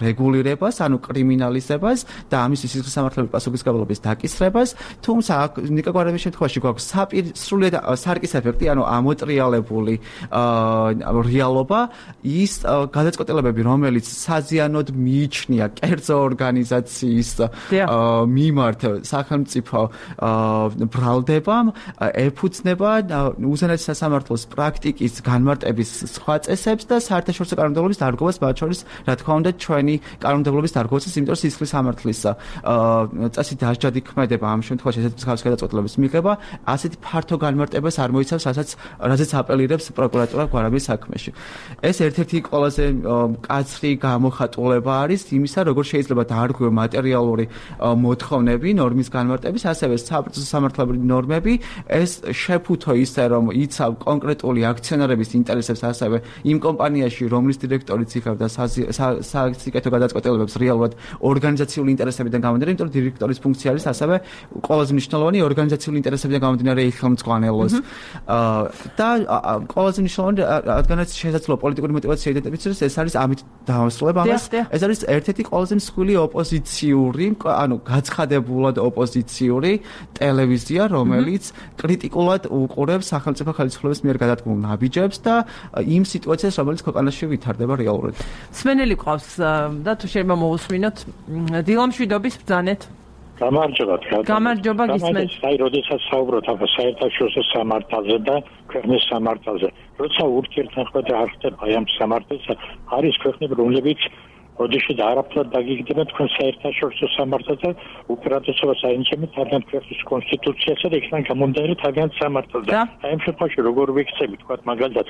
რეგულირებას, ანუ კრიმინალიზებას და ამის სისხლის სამართლებრივი პასუხისმგებლობის დაკისრებას, თუმცა ნიკა გვარების შემთხვევაში გვაქვს სრულიად სარკის ეფექტი, ანუ ამოტრიალებული რეალობა, ის გადაწყვეტილებები, რომელიც საზიანოდ მიიჩნია კერძო ორგანიზაციის მიმართ სახელმწიფო ბრალდებამ, ეფუძნება უზენაეს სასამართლოს პრაქტიკის განმარტების სხვა წესებს და საერთაშორისო კანონმდებლობის დარღვევას, მათ შორის, რა თქმა უნდა, ჩვენი კანონმდებლობის დარღვევას, იმიტომ რომ სისხლის სამართლის წესი დასჯადი ქმედება ამ შემთხვევაში ესეთ მსგავს გადაწყვეტილების მიღება, ასეთი ფართო განმარტებას არ მოიცავს, რაზეც აპელირებს პროკურატურა გვარების საქმეში. ეს ერთ-ერთი ყველაზე მკაცრი გამოხატულება არის იმისა, როგორ შეიძლება დაარღვიო მატერიალური მოთხოვნები, ნორმის განმარტების, ასევე საპროცესო სამართლებრივი ნორმები, ეს შეფუთო ისე, რომ იცავ კონკრეტული აქციონერების ინტერესებს, ასევე იმ კომპანიაში, რომლის დირექტორიც იხევდა საკითხო გადაწყვეტილებებს რეალურად ორგანიზაციული ინტერესებიდან გამომდინარე, იმიტომ რომ დირექტორის ფუნქცია არის ასევე ყველაზე მნიშვნელოვანი ორგანიზაციული ინტერესებიდან გამომდინარე ხელმძღვანელოს. და ყველაზე მნიშვნელოვანი, რადგანაც შესაძლოა პოლიტიკური мотиваცია იდენტიფიცირდეს, ეს არის ამით დავასრულებ ამას. ეს არის ერთ-ერთი ყველაზე მსხვილი ოპოზიციური, ანუ გაცხადებულად ოპოზიციური ტელევიზია, რომელიც კრიტიკულად უყურებს სახელმწიფო ხელისუფლების მიერ გადადგმულ ნაბიჯებს და იმ სიტუაციას, რომელიც ქვეყანაში ვითარდება რეალურად. სმენელი ყავს და თუ შეიძლება მოусმინოთ დილამშვიდობის ბრძანეთ. გამარჯობა გისმენთ. აი, როდესაც საუბრობთ ამ საერთაშორისო სამართალზე და ქვეყნის სამართალზე, როცა ურთიერთმოქმედება არ ხდება ამ სამართალზე, არის ქვეყნები, რომლებიც როდესაც არაფრად დაგიგდებენ თქვენ საერთაშორისო სამართალზე, უპირატესობას აინჩებენ თავიანთ ქვეყნის კონსტიტუციასა და იქიდან გამომდინარე თავიანთ სამართალზე. აი ამ შემთხვევაში როგორ ვიქცევით, თქვათ მაგალითად,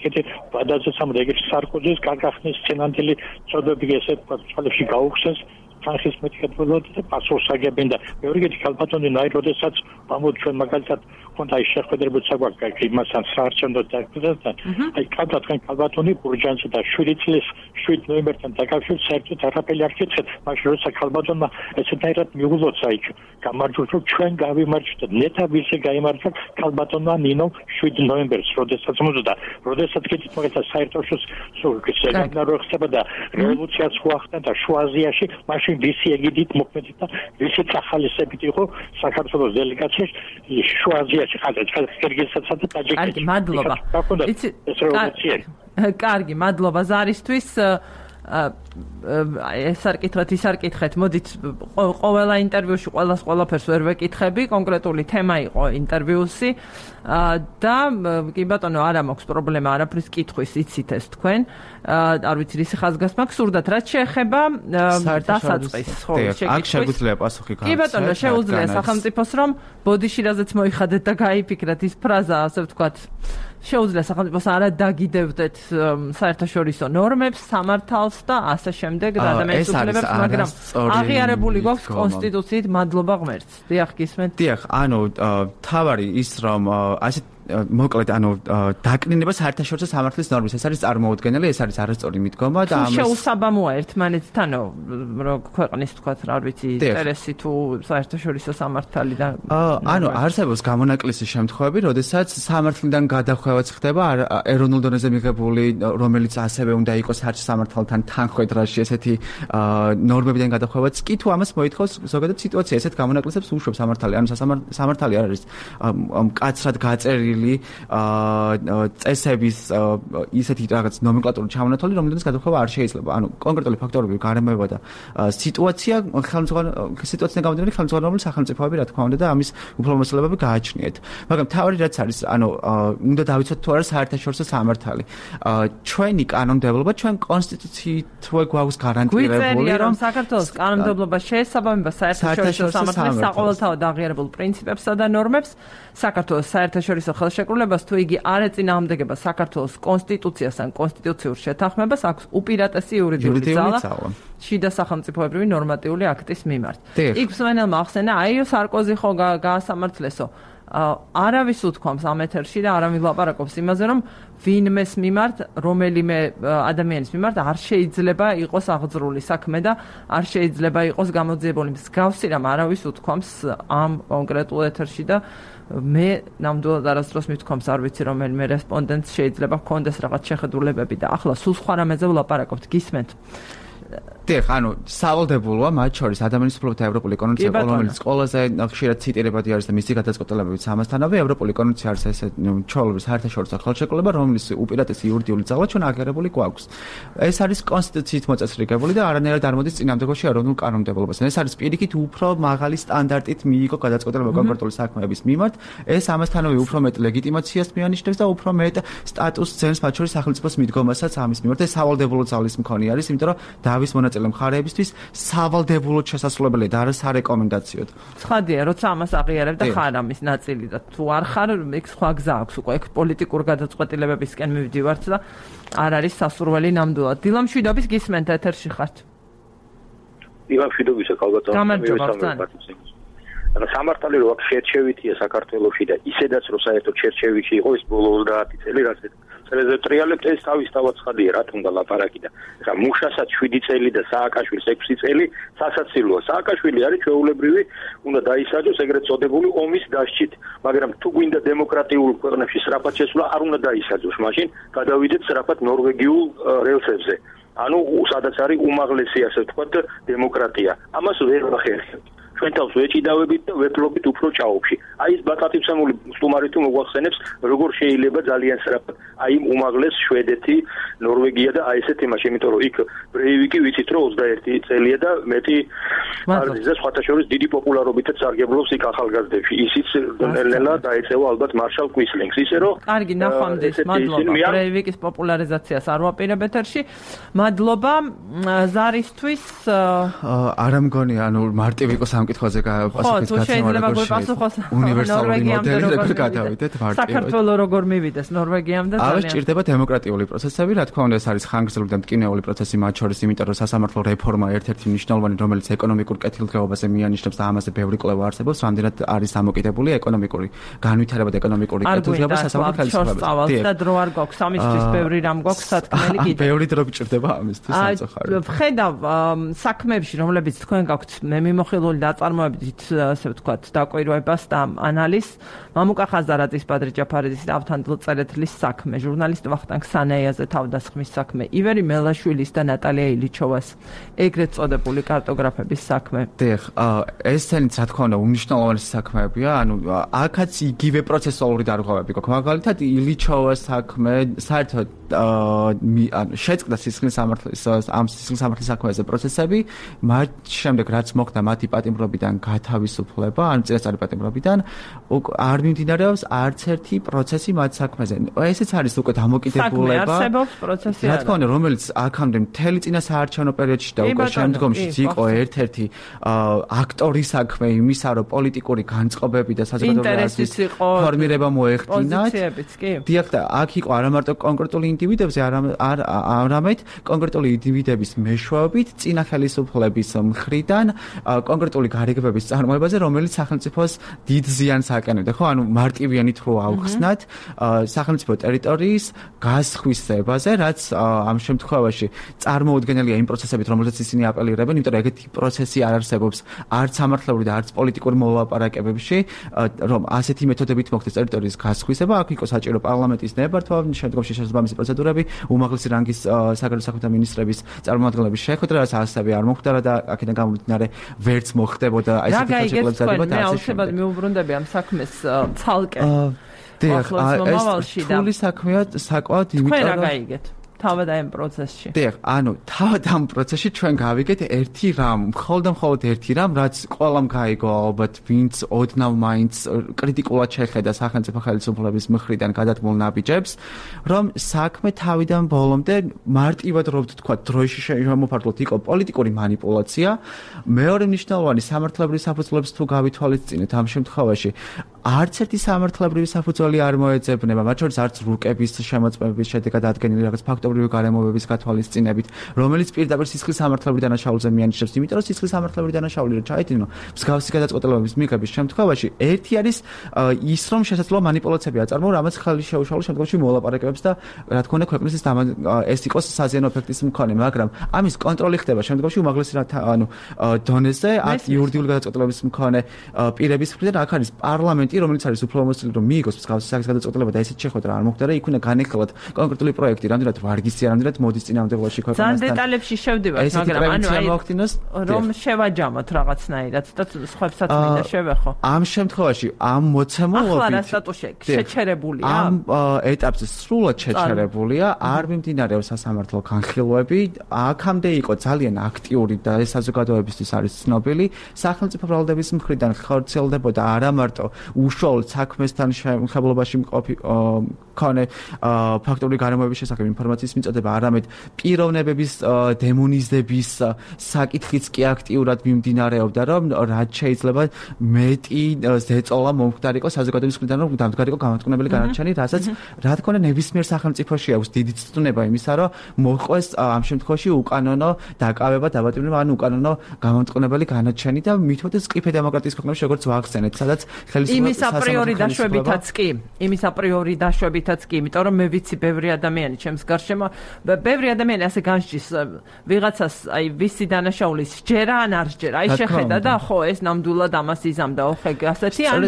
კიდე ბადაზესამ ეგრეთ სარკოზის კაკახნის სცენანდელი წოდები ესე თქვათ წყალებში გაუხსენს თანხის მეთქებულად და პასუხს აგებენ და მეორე კიდე ქალბატონი ნაი როდესაც ამოდ ჩვენ მაგალითად ხონდა ის შეხვედრებიც საგვაქვს იმასთან საარჩევნო დაკრძალვასთან აი კადრად თქვენ ქალბატონი ბურჯანსა და 7 წლის 7 ნოემბერთან დაკავშირებით საერთოდ არაფერი არ გითხეთ მაშინ როცა ქალბატონმა ესეთაირად მიუღლოცა იქ გამარჯვოთ რომ ჩვენ გავიმარჯვეთ ნეტა ვისე გაიმარჯვა ქალბატონმა ნინო 7 ნოემბერს როდესაც მოძდა როდესაც კიდე მაგალითად საერთაშორისო სეგნარო ხდება და რევოლუციაც ხوخდა და შუა აზიაში მაშინ ვისი ეგიდით მოქმედით და ვისი ახალისებით იყო საქართველოს დელეგაციაში შუა აზიაში ყირგიზეთსა და ტაჯიკეთში. მადლობა. კარგი, მადლობა ზარისთვის. ეს არ კითხეთ, ის არ კითხეთ. მოდით ყველა ინტერვიუში ყველაფერს ვერ ვეკითხები, კონკრეტული თემა იყო ინტერვიუსი და კი ბატონო, არა მაქვს პრობლემა არაფრის კითხვის, იცით ეს თქვენ. არ ვიცი, ისი ხაზგასმა გსურდათ, რაც შეეხება დასაწყისს, ხო, აქ შეგვიძლია პასუხი გააცეთ. კი ბატონო, შეუძლია სახელმწიფოს რომ ბოდიში რაზეც მოიხადეთ და გაიფიქრეთ ის ფრაზა, ასე ვთქვათ. შეუძლია სახელმწიფოს არა დაგიდევდეთ საერთაშორისო ნორმებს, სამართალს და ასე შემდეგ და ადამიანის უფლებებს, მაგრამ აღიარებული გვაქვს კონსტიტუციით, მადლობა ღმერთს. დიახ, გისმენთ. დიახ, ანუ თავარი ის რომ ასე მოკლედ დაკნინება საერთაშორისო სამართლის ნორმის ეს არის წარმოუდგენელი, ეს არის არასწორი მიდგომა და ამას შეუსაბამოა ერთმანეთთანო, რომ ქვეყნის თქვათ, რა ვიცი, ინტერესი თუ საერთაშორისო სამართალი და არსებობს გამონაკლისი შემთხვევები, როდესაც სამართლიდან გადახვევაც ხდება ეროვნულ დონეზე მიღებული, რომელიც ასევე უნდა იყოს საერთაშორისო სამართალთან თანხვედრაში ესეთი ნორმებიდან გადახვევაც კი თუ ამას მოითხოვს ზოგადად სიტუაცია, ესეთ გამონაკლისებს უშვებს სამართალი, ანუ სამართალი არ არის მკაცრად გაწერილი წესების ისეთი რაღაც ნომენკლატურული ჩამონათვალი, რომლითაც გადახვევა არ შეიძლება. ანუ კონკრეტული ფაქტორები, გარემოება და სიტუაციიდან გამომდინარე ხელმძღვანელობრივი სახელმწიფოები, რა თქმა უნდა, და ამის უფლებამოსილებლები გააჩნიათ. მაგრამ თავი რაც არის, უნდა დავიცოთ თუ არა საერთაშორისო სამართალი. ჩვენი კანონმდებლობა, ჩვენ კონსტიტუციითვე გვაქვს გარანტირებული, რომ საქართველოს კანონმდებლობა შეესაბამება საერთაშორისო სამართლის საყოველთაოდ აღიარებულ პრინციპებსა და ნორმებს, საქართველოს საერთაშორისო ხელშეკრულებას, თუ იგი არ ეწინააღმდეგება საქართველოს კონსტიტუციას ან კონსტიტუციურ შეთანხმებას, აქვს უპირატესი იურიდიული ძალა შიდა სახელმწიფოებრივი ნორმატიული აქტის მიმართ. იქ მსმენელმა ახსენა, აიო სარკოზი ხო გაასამართლესო. არავის უთქვამს ამ ეთერში და არავინ ლაპარაკობს იმაზე, რომ ვინმეს მიმართ, რომელიმე ადამიანის მიმართ არ შეიძლება იყოს აღძრული საქმე და არ შეიძლება იყოს გამოძიებული მსგავსი რამ არავის უთქვამს ამ კონკრეტულ ეთერში და მე ნამდვილად არასდროს მithქვამს არ ვიცი რომელიმე რესპონდენტს შეიძლება ჰქონდეს რაღაც შეხედულებები და ახლა სულ სხვა რამეზე ვლაპარაკობთ, გისმენთ? დიახ, ანუ სავალდებულოა მათ შორის ადამიანის უფლებათა ევროპული კონვენცია, რომელიც ყველაზე ხშირად ციტირებადი არის და მისი გადაწყვეტილებებით ამასთანავე ევროპული კონვენცია არის ესე ჩვეულებრივ საერთაშორისო ხელშეკრულება, რომლის უპირატესი იურიდიული ძალა ჩვენ აღიარებული გვაქვს. ეს არის კონსტიტუციით მოწესრიგებული და არანაირად არ მოდის წინამდებობაში ეროვნულ კანონმდებლობას. ეს არის პირიქით უფრო მაღალი სტანდარტით მიიღო გადაწყვეტილება კონკრეტული საქმეების მიმართ. ეს ამასთანავე უფრო მეტ ლეგიტიმაციას მიანიშნებს და უფრო მეტ სტატუსს ძენს მათ შორის სახელმწიფოს მიდგომასაც ამის მიმართ. ეს სავალდებულო ძალის მქონე არის, იმიტომ რომ დავის მონაწილე მხარეებისთვის სავალდებულოდ შესაძლებელია და არა სარეკომენდაციოდ. ცხადია, როცა ამას აღიარებ და ხარ ამის ნაწილი და თუ არ ხარ, იქ სხვა გზა აქვს უკვე ეგ პოლიტიკურ გადაწყვეტილებებისკენ მივდივართ და არ არის სასურველი ნამდვილად. დილამ შვიდობის გისმენთ ეთერში ხართ. დილამ შვიდობისა ქალბატონო. ანუ სამართალი რო აქ შერჩევითია საქართველოში და ისედაც რო საერთოდ შერჩევითი იყო ეს ბოლო 30 წელი რასაც წელზე ტრიალებთ ეს თავისთავად ცხადია რა თუნდა ლაპარაკი და ხა მუშასაც 7 წელი და სააკაშვილს 6 წელი სასაცილოა. სააკაშვილი არის ჩვეულებრივი უნდა დაისაჯოს ეგრეთ წოდებული ომის დასჭით, მაგრამ თუ გვინდა დემოკრატიულ ქვეყნებში სწრაფად შესვლა არ უნდა დაისაჯოს, მაშინ გადავიდეთ სწრაფად ნორვეგიულ რელსებზე. ანუ სადაც არის უმაღლესი ასე ვთქვათ დემოკრატია. ამას ვერ ვახერხებთ. ჩვენ თავს ვეჭიდავებით და ვეფლობით უფრო ჭაობში. აი ეს ბატატიფსამული სტუმარი თუ მოგვახსენებს, როგორ შეიძლება ძალიან სწრაფად აი უმაღლეს შვედეთი, ნორვეგია და აი ესეთ იმაში, იმიტომ რომ იქ ბრეივიკი ვიცით რომ 21 წელია და მეტი არის და სხვათა შორის დიდი პოპულარობითაც სარგებლობს იქ ახალგაზრდებში. ისიც ნელ-ნელა დაეწევა ალბათ მარშალ კუისლინგს, ისე რომ კარგი ნახვამდის, მადლობა. ბრეივიკის პოპულარიზაციას არ ვაპირებ ეთერში. მადლობა ზარისთვის. არა მგონი, ანუ მარტივი იყოს კითხვაზე უნივერსალური მოდელი როგორ გადავიდეთ მარტივად. საქართველოს როგორ მივიდეს ნორვეგიამდე ძალიან. არის ჭირდება დემოკრატიული პროცესები, რა თქმა უნდა, ეს არის ხანგრძლივი და მტკივნეული პროცესი მათ შორის, იმიტომ რომ სასამართლო რეფორმა ერთ-ერთი მნიშვნელოვანი, რომელიც ეკონომიკურ კეთილდღეობაზე მიანიშნებს და ამაზე ბევრი კვლევა არსებობს, რამდენად არის დამოკიდებული ეკონომიკური განვითარება და ეკონომიკური კეთილდღეობა სასამართლო ხელისუფლებაზე. და დრო არ გვაქვს ამისთვის, ბევრი რამ გვაქვს სათქმელი კიდე. ბევრი დრო გჭირდება ამისთვის საწუხაროდ. ვხედავ საქმეებში, რომლებიც თქვენ გაქვთ მე მიმოხილული წარმოებით ასე ვთქვათ დაკვირვებას და ანალიზს მამუკა ხაზარაძის, ბადრი ჯაფარიძის და ავთანდილ წერეთლის საქმე, ჟურნალისტ ვახტანგ სანეიაზე თავდასხმის საქმე, ივერი მელაშვილის და ნატალია ილიჩოვას ეგრეთ წოდებული კარტოგრაფების საქმე. დიახ, ესენიც რა თქმა უნდა უმნიშვნელოვანესი საქმეებია, ანუ აქაც იგივე პროცესუალური დარღვევები გვაქვს. მაგალითად ილიჩოვას საქმე საერთოდ შეწყდა სისხლის სამართლის ამ სისხლის სამართლის საქმეზე პროცესები, მათ შემდეგ რაც მოხდა მათი პატიმრობიდან გათავისუფლება, ან წინასწარი პატიმრობიდან არ მიმდინარეობს არც ერთი პროცესი მათ საქმეზე. ესეც არის უკვე დამოკიდებულება. საქმე არსებობს პროცესი არა. რა თქმა უნდა, რომელიც აქამდე მთელი წინასაარჩევნო პერიოდში და უკვე შემდგომშიც იყო ერთ-ერთი აქტორის საქმე იმისა, რომ პოლიტიკური განწყობები და საზოგადოების ფორმირება მოეხდინათ. დიახ, და აქ იყო არა მარტო კონკრეტული ინდივიდებზე, არამედ კონკრეტული ინდივიდების მეშვეობით წინა ხელისუფლების მხრიდან კონკრეტული გარიგებების წარმოებაზე, რომელიც სახელმწიფოს დიდ ზიანს აკენებდა, ხო? ანუ მარტივიანით რო ავხსნათ სახელმწიფო ტერიტორიის გასხვისებაზე, რაც ამ შემთხვევაში წარმოუდგენელია იმ პროცესებით, რომელზეც ისინი აპელირებენ, იმიტომ რომ ეგეთი პროცესი არ არსებობს არც სამართლებრივი და არც პოლიტიკური მოლაპარაკებებში, რომ ასეთი მეთოდებით მოხდეს ტერიტორიის გასხვისება, აქ იყო საჭირო პარლამენტის ნებართვა, შემდგომში შესაბამისი პროცედურები, უმაღლესი რანგის საგარეო საქმეთა მინისტრების წარმომადგენლების შეხვედრა, რაც ასევე არ მოხდა და აქედან გამომდინარე ვერც მოხდებოდა აი ესეთი ხელშეკრულების დადება და ასე შემდეგ. მეუბრუნდები ამ საქმეს ცალკე. დიახ, ეს რთული საქმეა საკმაოდ, იმიტომ რომ რა გაიგეთ? თავად ამ პროცესში. დიახ, ანუ თავად ამ პროცესში ჩვენ გავიგეთ ერთი რამ, მხოლოდ ერთი რამ, რაც ყველამ გაიგო ალბათ, ვინც ოდნავ მაინც კრიტიკულად შეხედა სახელმწიფო ხელისუფლების მხრიდან გადადგმულ ნაბიჯებს, რომ საქმე თავიდან ბოლომდე მარტივად რო ვთქვა, დროშში შემოფარგლოთ იყო პოლიტიკური манипуляცია. მეორე მნიშვნელოვანი სამართლებრივი საფუძვლებს თუ გავითვალისწინეთ ამ შემთხვევაში არც ერთი სამართლებრივი საფუძველი არ მოეძებნება, მათ შორის არც რუკების შემოწმების შედეგად ადგენილი რაღაც ფაქტობრივი გარემოებების გათვალისწინებით, რომელიც პირდაპირ სისხლის სამართლებრივ დანაშაულზე მიანიშნებს, იმიტომ რომ სისხლის სამართლებრივი დანაშაული რომ ჩაიდინო, მსგავსი გადაწყვეტილებების მიღების შემთხვევაში ერთი არის ის, რომ შესაძლოა манипуляციები აწარმოო, რამაც ხელი შეუშალოს შემდგომში მოლაპარაკებებს და რა თქმა უნდა ქვეყნის ეს იყოს საზიანო ეფექტის მქონე, მაგრამ ამის კონტროლი ხდება შემდგომში უმაღლეს დონეზე, აქ იურიდიული გადაწყვეტილების მქონე პირების მხრიდან აქ არის პარლამენტი, რომელიც არის უფლებამოსილი, რომ მიიღოს მსგავსი სახის გადაწყვეტილება და ესეთ შეხვედრა არ მოხდა და იქ უნდა განეხილოთ კონკრეტული პროექტი, რამდენად ვარგისია, რამდენად მოდის წინამდებობაში ქვეყანასთან. ძალიან დეტალებში შევდივართ, მაგრამ რომ შევაჯამოთ რაღაცნაირად და სხვებსაც მინდა შევეხო. ამ შემთხვევაში ამ მოცემულობით ახლა რა სტატუსი შეჩერებულია? ამ ეტაპზე სრულად შეჩერებულია, არ მიმდინარეობს სასამართლო განხილვები, აქამდე იყო ძალიან აქტიური და ეს საზოგადოებისთვის არის ცნობილი, სახელმწიფო ბრალდების მხრიდან ხორციელდებოდა არა მარტო უშუალოდ საქმესთან შემხებლობაში მქონე ფაქტობრივი გარემოების შესახებ ინფორმაციის მიწოდება, არამედ პიროვნებების დემონიზების საკითხიც კი აქტიურად მიმდინარეობდა, რომ რაც შეიძლება მეტი ზეწოლა მომხდარიყო საზოგადოების მხრიდან, რომ დამდგარიყო გამართკუნებელი განაჩენი, რასაც რა თქმა უნდა ნებისმიერ სახელმწიფოში აქვს დიდი ცდნება იმისა, რომ მოყვეს ამ შემთხვევაში უკანონო დაკავება, დაბატონება, ან უკანონო გამართკუნებელი განაჩენი და მithოდეს ყიფე დემოკრატიის ქვეყნებში როგორც ვახსენეთ, სადაც იმის აპრიორი დაშვებითაც კი, იმიტომ რომ მე ვიცი ბევრი ადამიანი ჩემს გარშემო, ბევრი ადამიანი ასე განსჯის ვიღაცას, აი ვისი დანაშაულის სჯერა ან არ სჯერა, აი შეხედა და ხო ეს ნამდვილად ამას იზამდა, ხო ასეთი ან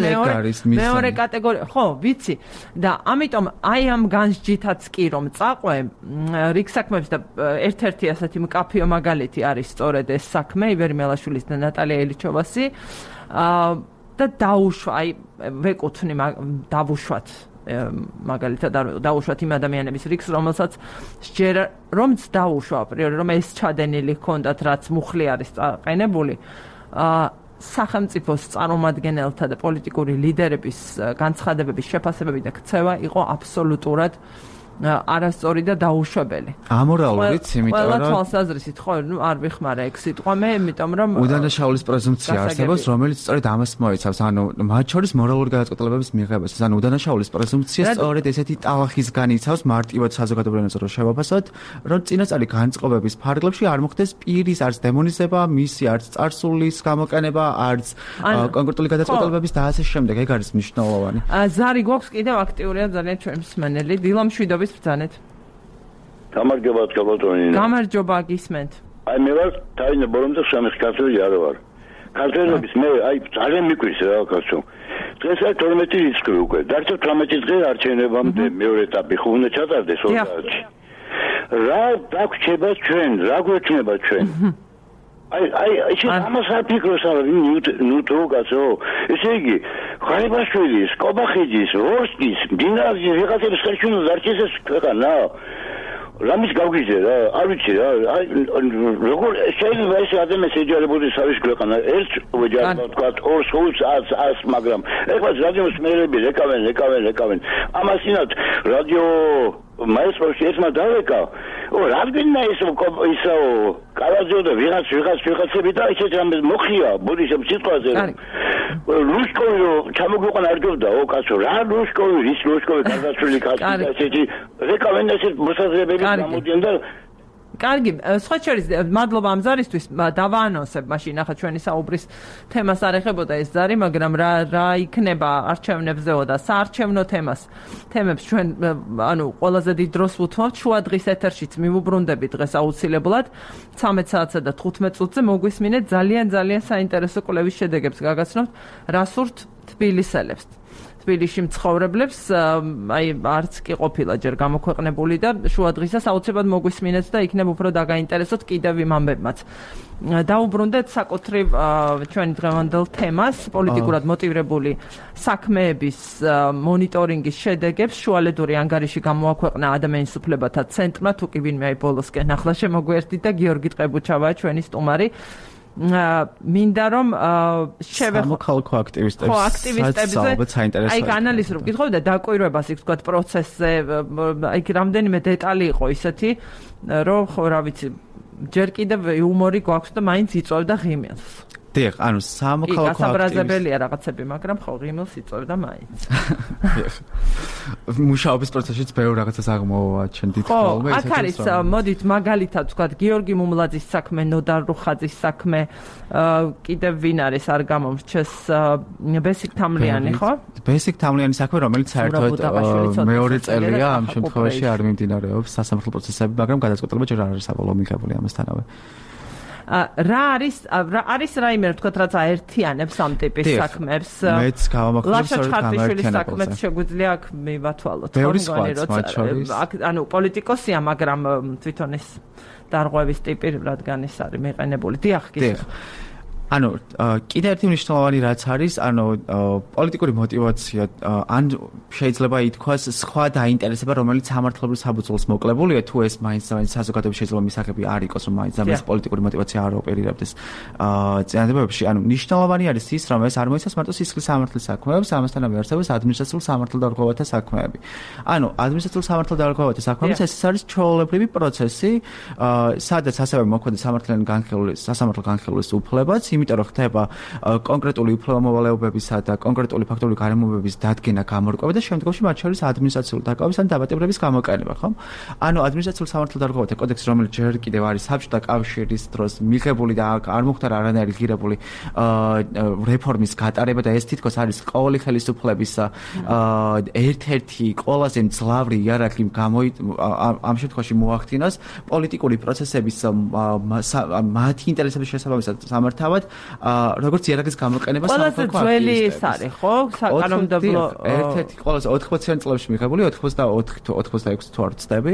მეორე კატეგორია, ხო ვიცი და ამიტომ აი ამ განსჯითაც კი რომ წაყვე რიგ საქმეებს და ერთ-ერთი ასეთი მკაფიო მაგალითი არის სწორედ ეს საქმე ივერი მელაშვილის და ნატალია ელიჩოვასი და დაუშვა, აი ვეკუთვნი დავუშვათ მაგალითად დაუშვათ იმ ადამიანების რიგს, რომელსაც სჯერა რომც დაუშვა აპრიორი, რომ ეს ჩადენილი ჰქონდათ, რაც მუხლი არის წაყენებული, სახელმწიფოს წარმომადგენელთა და პოლიტიკური ლიდერების განცხადებების შეფასებები და ქცევა იყო აბსოლუტურად არასწორი და დაუშვებელი. ამორალურიც, იმიტომ რომ ყველა თვალსაზრისით ხო, არ ვიხმარა ეგ სიტყვა მე, იმიტომ რომ უდანაშაულის პრეზუმპცია არსებობს, რომელიც სწორედ ამას მოიცავს, ანუ მათ შორის მორალური გადაწყვეტილებების მიღებას, ანუ უდანაშაულის პრეზუმპცია სწორედ ესეთი ტალახის განიცავს მარტივად საზოგადოებრივ რომ შევაფასოთ, რომ წინასწარი განწყობების ფარგლებში არ მოხდეს პირის არც დემონიზება, მისი არც წარსულის გამოყენება, არც კონკრეტული გადაწყვეტილებების და ასე შემდეგ, ეგ არის მნიშვნელოვანი. ზარი გვაქვს კიდევ აქტიურია ძალიან ჩვენი მსმენელი, დილა მშვიდობის ბრძანეთ. გამარჯობა თქალბატონი. გამარჯობა გისმენთ. აი მე ვარ თავი ბორომზე სამეხ ქართველი არ ვარ. ქართველობის მე აი ძალიან მიკვირს რა კაცო. დღეს აი 12 რიცხვი უკვე. დარჩა 18 დღე არჩევნებამდე მეორე ეტაპი ხო უნდა ჩატარდეს 30-ში. რა დაგვრჩება ჩვენ, რა გვექნება ჩვენ? აი ეს ამას არ ფიქრობს არა ნუტო კაცო. ესე იგი ხარებაშვილის, კობახიძის, ვორსკის, დინაზის ვიღაცების ხელში უნდა დარჩეს ქვეყანა. რამის გავგიჟე რა, არ ვიცი რა. აი როგორ შეიძლება ეს ადამიანს ეჯარებოდეს არის ქვეყანა. ერთ ვეჯარებო თქვა, ორ სულს 100, მაგრამ ეხლა რადიოს მერები ეკავენ. ამასინათ რადიო მაესტროში ესმა დავეკა. რადგან ისო კალაძე და ვიღაცები და ისეთ რამე მოხია ბოდიშებ სიტყვაზე. ლუშკოვი ჩამოგვიყან არ გობდა კაცო რა ლუშკოვი ის ლუშკოვი გარდაცვლილი კაცი ესეთი რეკავენ ესეთ მოსაზრებები გამოდიან და კარგი, სხვა შორის მადლობა ამ ზარისთვის, დავაანონსებ მაშინ ახლა ჩვენი საუბრის თემას არ ეხებოდა ეს ზარი, მაგრამ რა იქნება არჩევნებზეო და საარჩევნო თემებს ჩვენ ანუ ყველაზე დიდ დროს ვუთმობთ, შუა დღის ეთერშიც მივუბრუნდებით დღეს აუცილებლად 13 საათსა და 15 წუთზე მოგვისმინეთ ძალიან საინტერესო კვლევის შედეგებს გაგაცნობთ, რა სურთ თბილისელებს. თბილისში მცხოვრებლებს, აი არც კი ყოფილა ჯერ გამოქვეყნებული და შუა დღისას აუცილებლად მოგვისმინეთ და იქნებ უფრო დაგაინტერესოთ კიდევ იმ ამბებმაც. დაუბრუნდეთ საკუთრივ ჩვენი დღევანდელ თემას, პოლიტიკურად მოტივირებული საქმეების მონიტორინგის შედეგებს შუალედური ანგარიში გამოაქვეყნა ადამიანის უფლებათა ცენტრმა, თუ კი ვინმე აი ბოლოსკენ ახლა შემოგვერთით და გიორგი ტყებუჩავაა ჩვენი სტუმარი. მინდა რომ სამოქალაქო აქტივისტებს აი ანალიზს რომ გითხავ და დაკვირვებას იქ თქვა პროცესზე აი რამდენიმე დეტალი იყო ისეთი რომ ხო რა ვიცი ჯერ კიდევ იუმორი გვაქვს და მაინც იწვევდა ღიმილს დიახ, ანუ სამოქალაქო გასაბრაზებელია რაღაცები, მაგრამ ხო ღიმილს იწევდა მაინც. მუშაობის პროცესშიც ბევრ რაღაცას აღმოაჩენდით ხოლმე. ხო, აქ არის მოდით მაგალითად ვთქვათ გიორგი მუმლაძის საქმე, ნოდარ რუხაძის საქმე, კიდევ ვინ არის არ გამომრჩეს ბესიკ თამლიანი, ხო? ბესიკ თამლიანის საქმე, რომელიც საერთოდ მეორე წელია ამ შემთხვევაში არ მიმდინარეობს სასამართლო პროცესები, მაგრამ გადაწყვეტილება ჯერ არ არის საბოლოო მიღებული ამასთანავე. რა არის რაიმე თქვათ რაც აერთიანებს ამ ტიპის საქმებს მეც გავამახვილებ სწორედ გამართიანებას საქმეც შეგვიძლია აქ მივათვალოთ ანუ პოლიტიკოსია მაგრამ თვითონ ეს დარღვევის ტიპი რადგან ის არის მეყენებული დიახ ანუ კიდევ ერთი მნიშვნელოვანი რაც არის ანუ პოლიტიკური мотиваცია ან შეიძლება ითქვას სხვა დაინტერესება რომელიც სამართლებრივ საბუთულს მოკლებულია თუ ეს მაინც საზოგადოების შეიძლება მისაღები არ იყოს რომ მაინც ამის პოლიტიკური мотиваცია არ ოპერირებდეს წინააღმდეგობებში ანუ მნიშვნელოვანი არის ის რომ ეს არ მოიცავს მარტო სისხლის სამართლის საქმეებს ამასთანავე არსებობს ადმინისტრაციულ სამართალდამცავთა საქმეები ანუ ადმინისტრაციულ სამართალდამცავთა საქმეებს ეს არის ჩვეულებრივი პროცესი სადაც ასევე მოქმედებს სასამართლო განხილვის უფლებაც იმიტომ რომ ხდება კონკრეტული უფლებამოვალეობებისა და კონკრეტული ფაქტობრივი გარემოებების დადგენა გამორკვევა და შემდგომში მათ შორის ადმინისტრაციული დაკავების ან დაბატებების გამოყენება, ხო? ანუ ადმინისტრაციული სამართალდამცავთა კოდექსი, რომელიც ჯერ კიდევ არის საბჭოთა კავშირის დროს მიღებული და არ მოხდა არანაირი ღირებული რეფორმის გატარება და ეს თითქოს არის ყოველი ხელისუფლების ერთ-ერთი ყველაზე მძლავრი იარაღი ამ შემთხვევაში მოახდინოს პოლიტიკური პროცესების მათი ინტერესების შესაბამისად სამართავად როგორც იარაღის გამოყენება სამართალ ძველი ის არის ხო საკანონმდებლო ერთ-ერთი ყველაზე 80-იან წლებში მიღებული 84 თუ 86 თუ არ ვცდები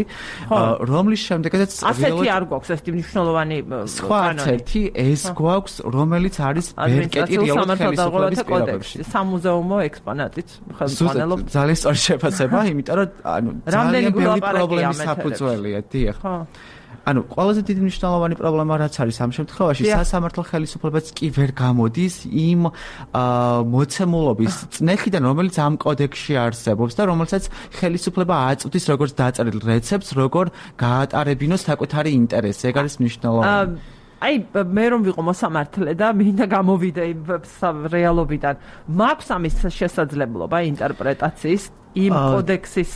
რომლის შემდეგაც ასეთი არ გვაქვს ეს მნიშვნელოვანი სხვა ერთი ეს გვაქვს რომელიც არის ბერკეტი რეალურად ხელისუფლების პირობებში სამუზეუმო ექსპონატიც ხელმძღვანელობს ძალიან სწორი შეფასება იმიტომ რომ ანუ ძალიან ბევრი პრობლემის საფუძველია დიახ ანუ ყველაზე დიდი მნიშვნელოვანი პრობლემა რაც არის ამ შემთხვევაში სასამართლო ხელისუფლებაც კი ვერ გამოდის იმ მოცემულობის წნეხიდან რომელიც ამ კოდექსში არსებობს და რომელსაც ხელისუფლება აწვდის როგორც დაწერილ რეცეპტს როგორ გაატარებინოს საკუთარი ინტერესი ეგ არის მნიშვნელოვანი აი მე რომ ვიყო მოსამართლე და მინდა გამოვიდე იმ რეალობიდან მაქვს ამის შესაძლებლობა ინტერპრეტაციის იმ კოდექსის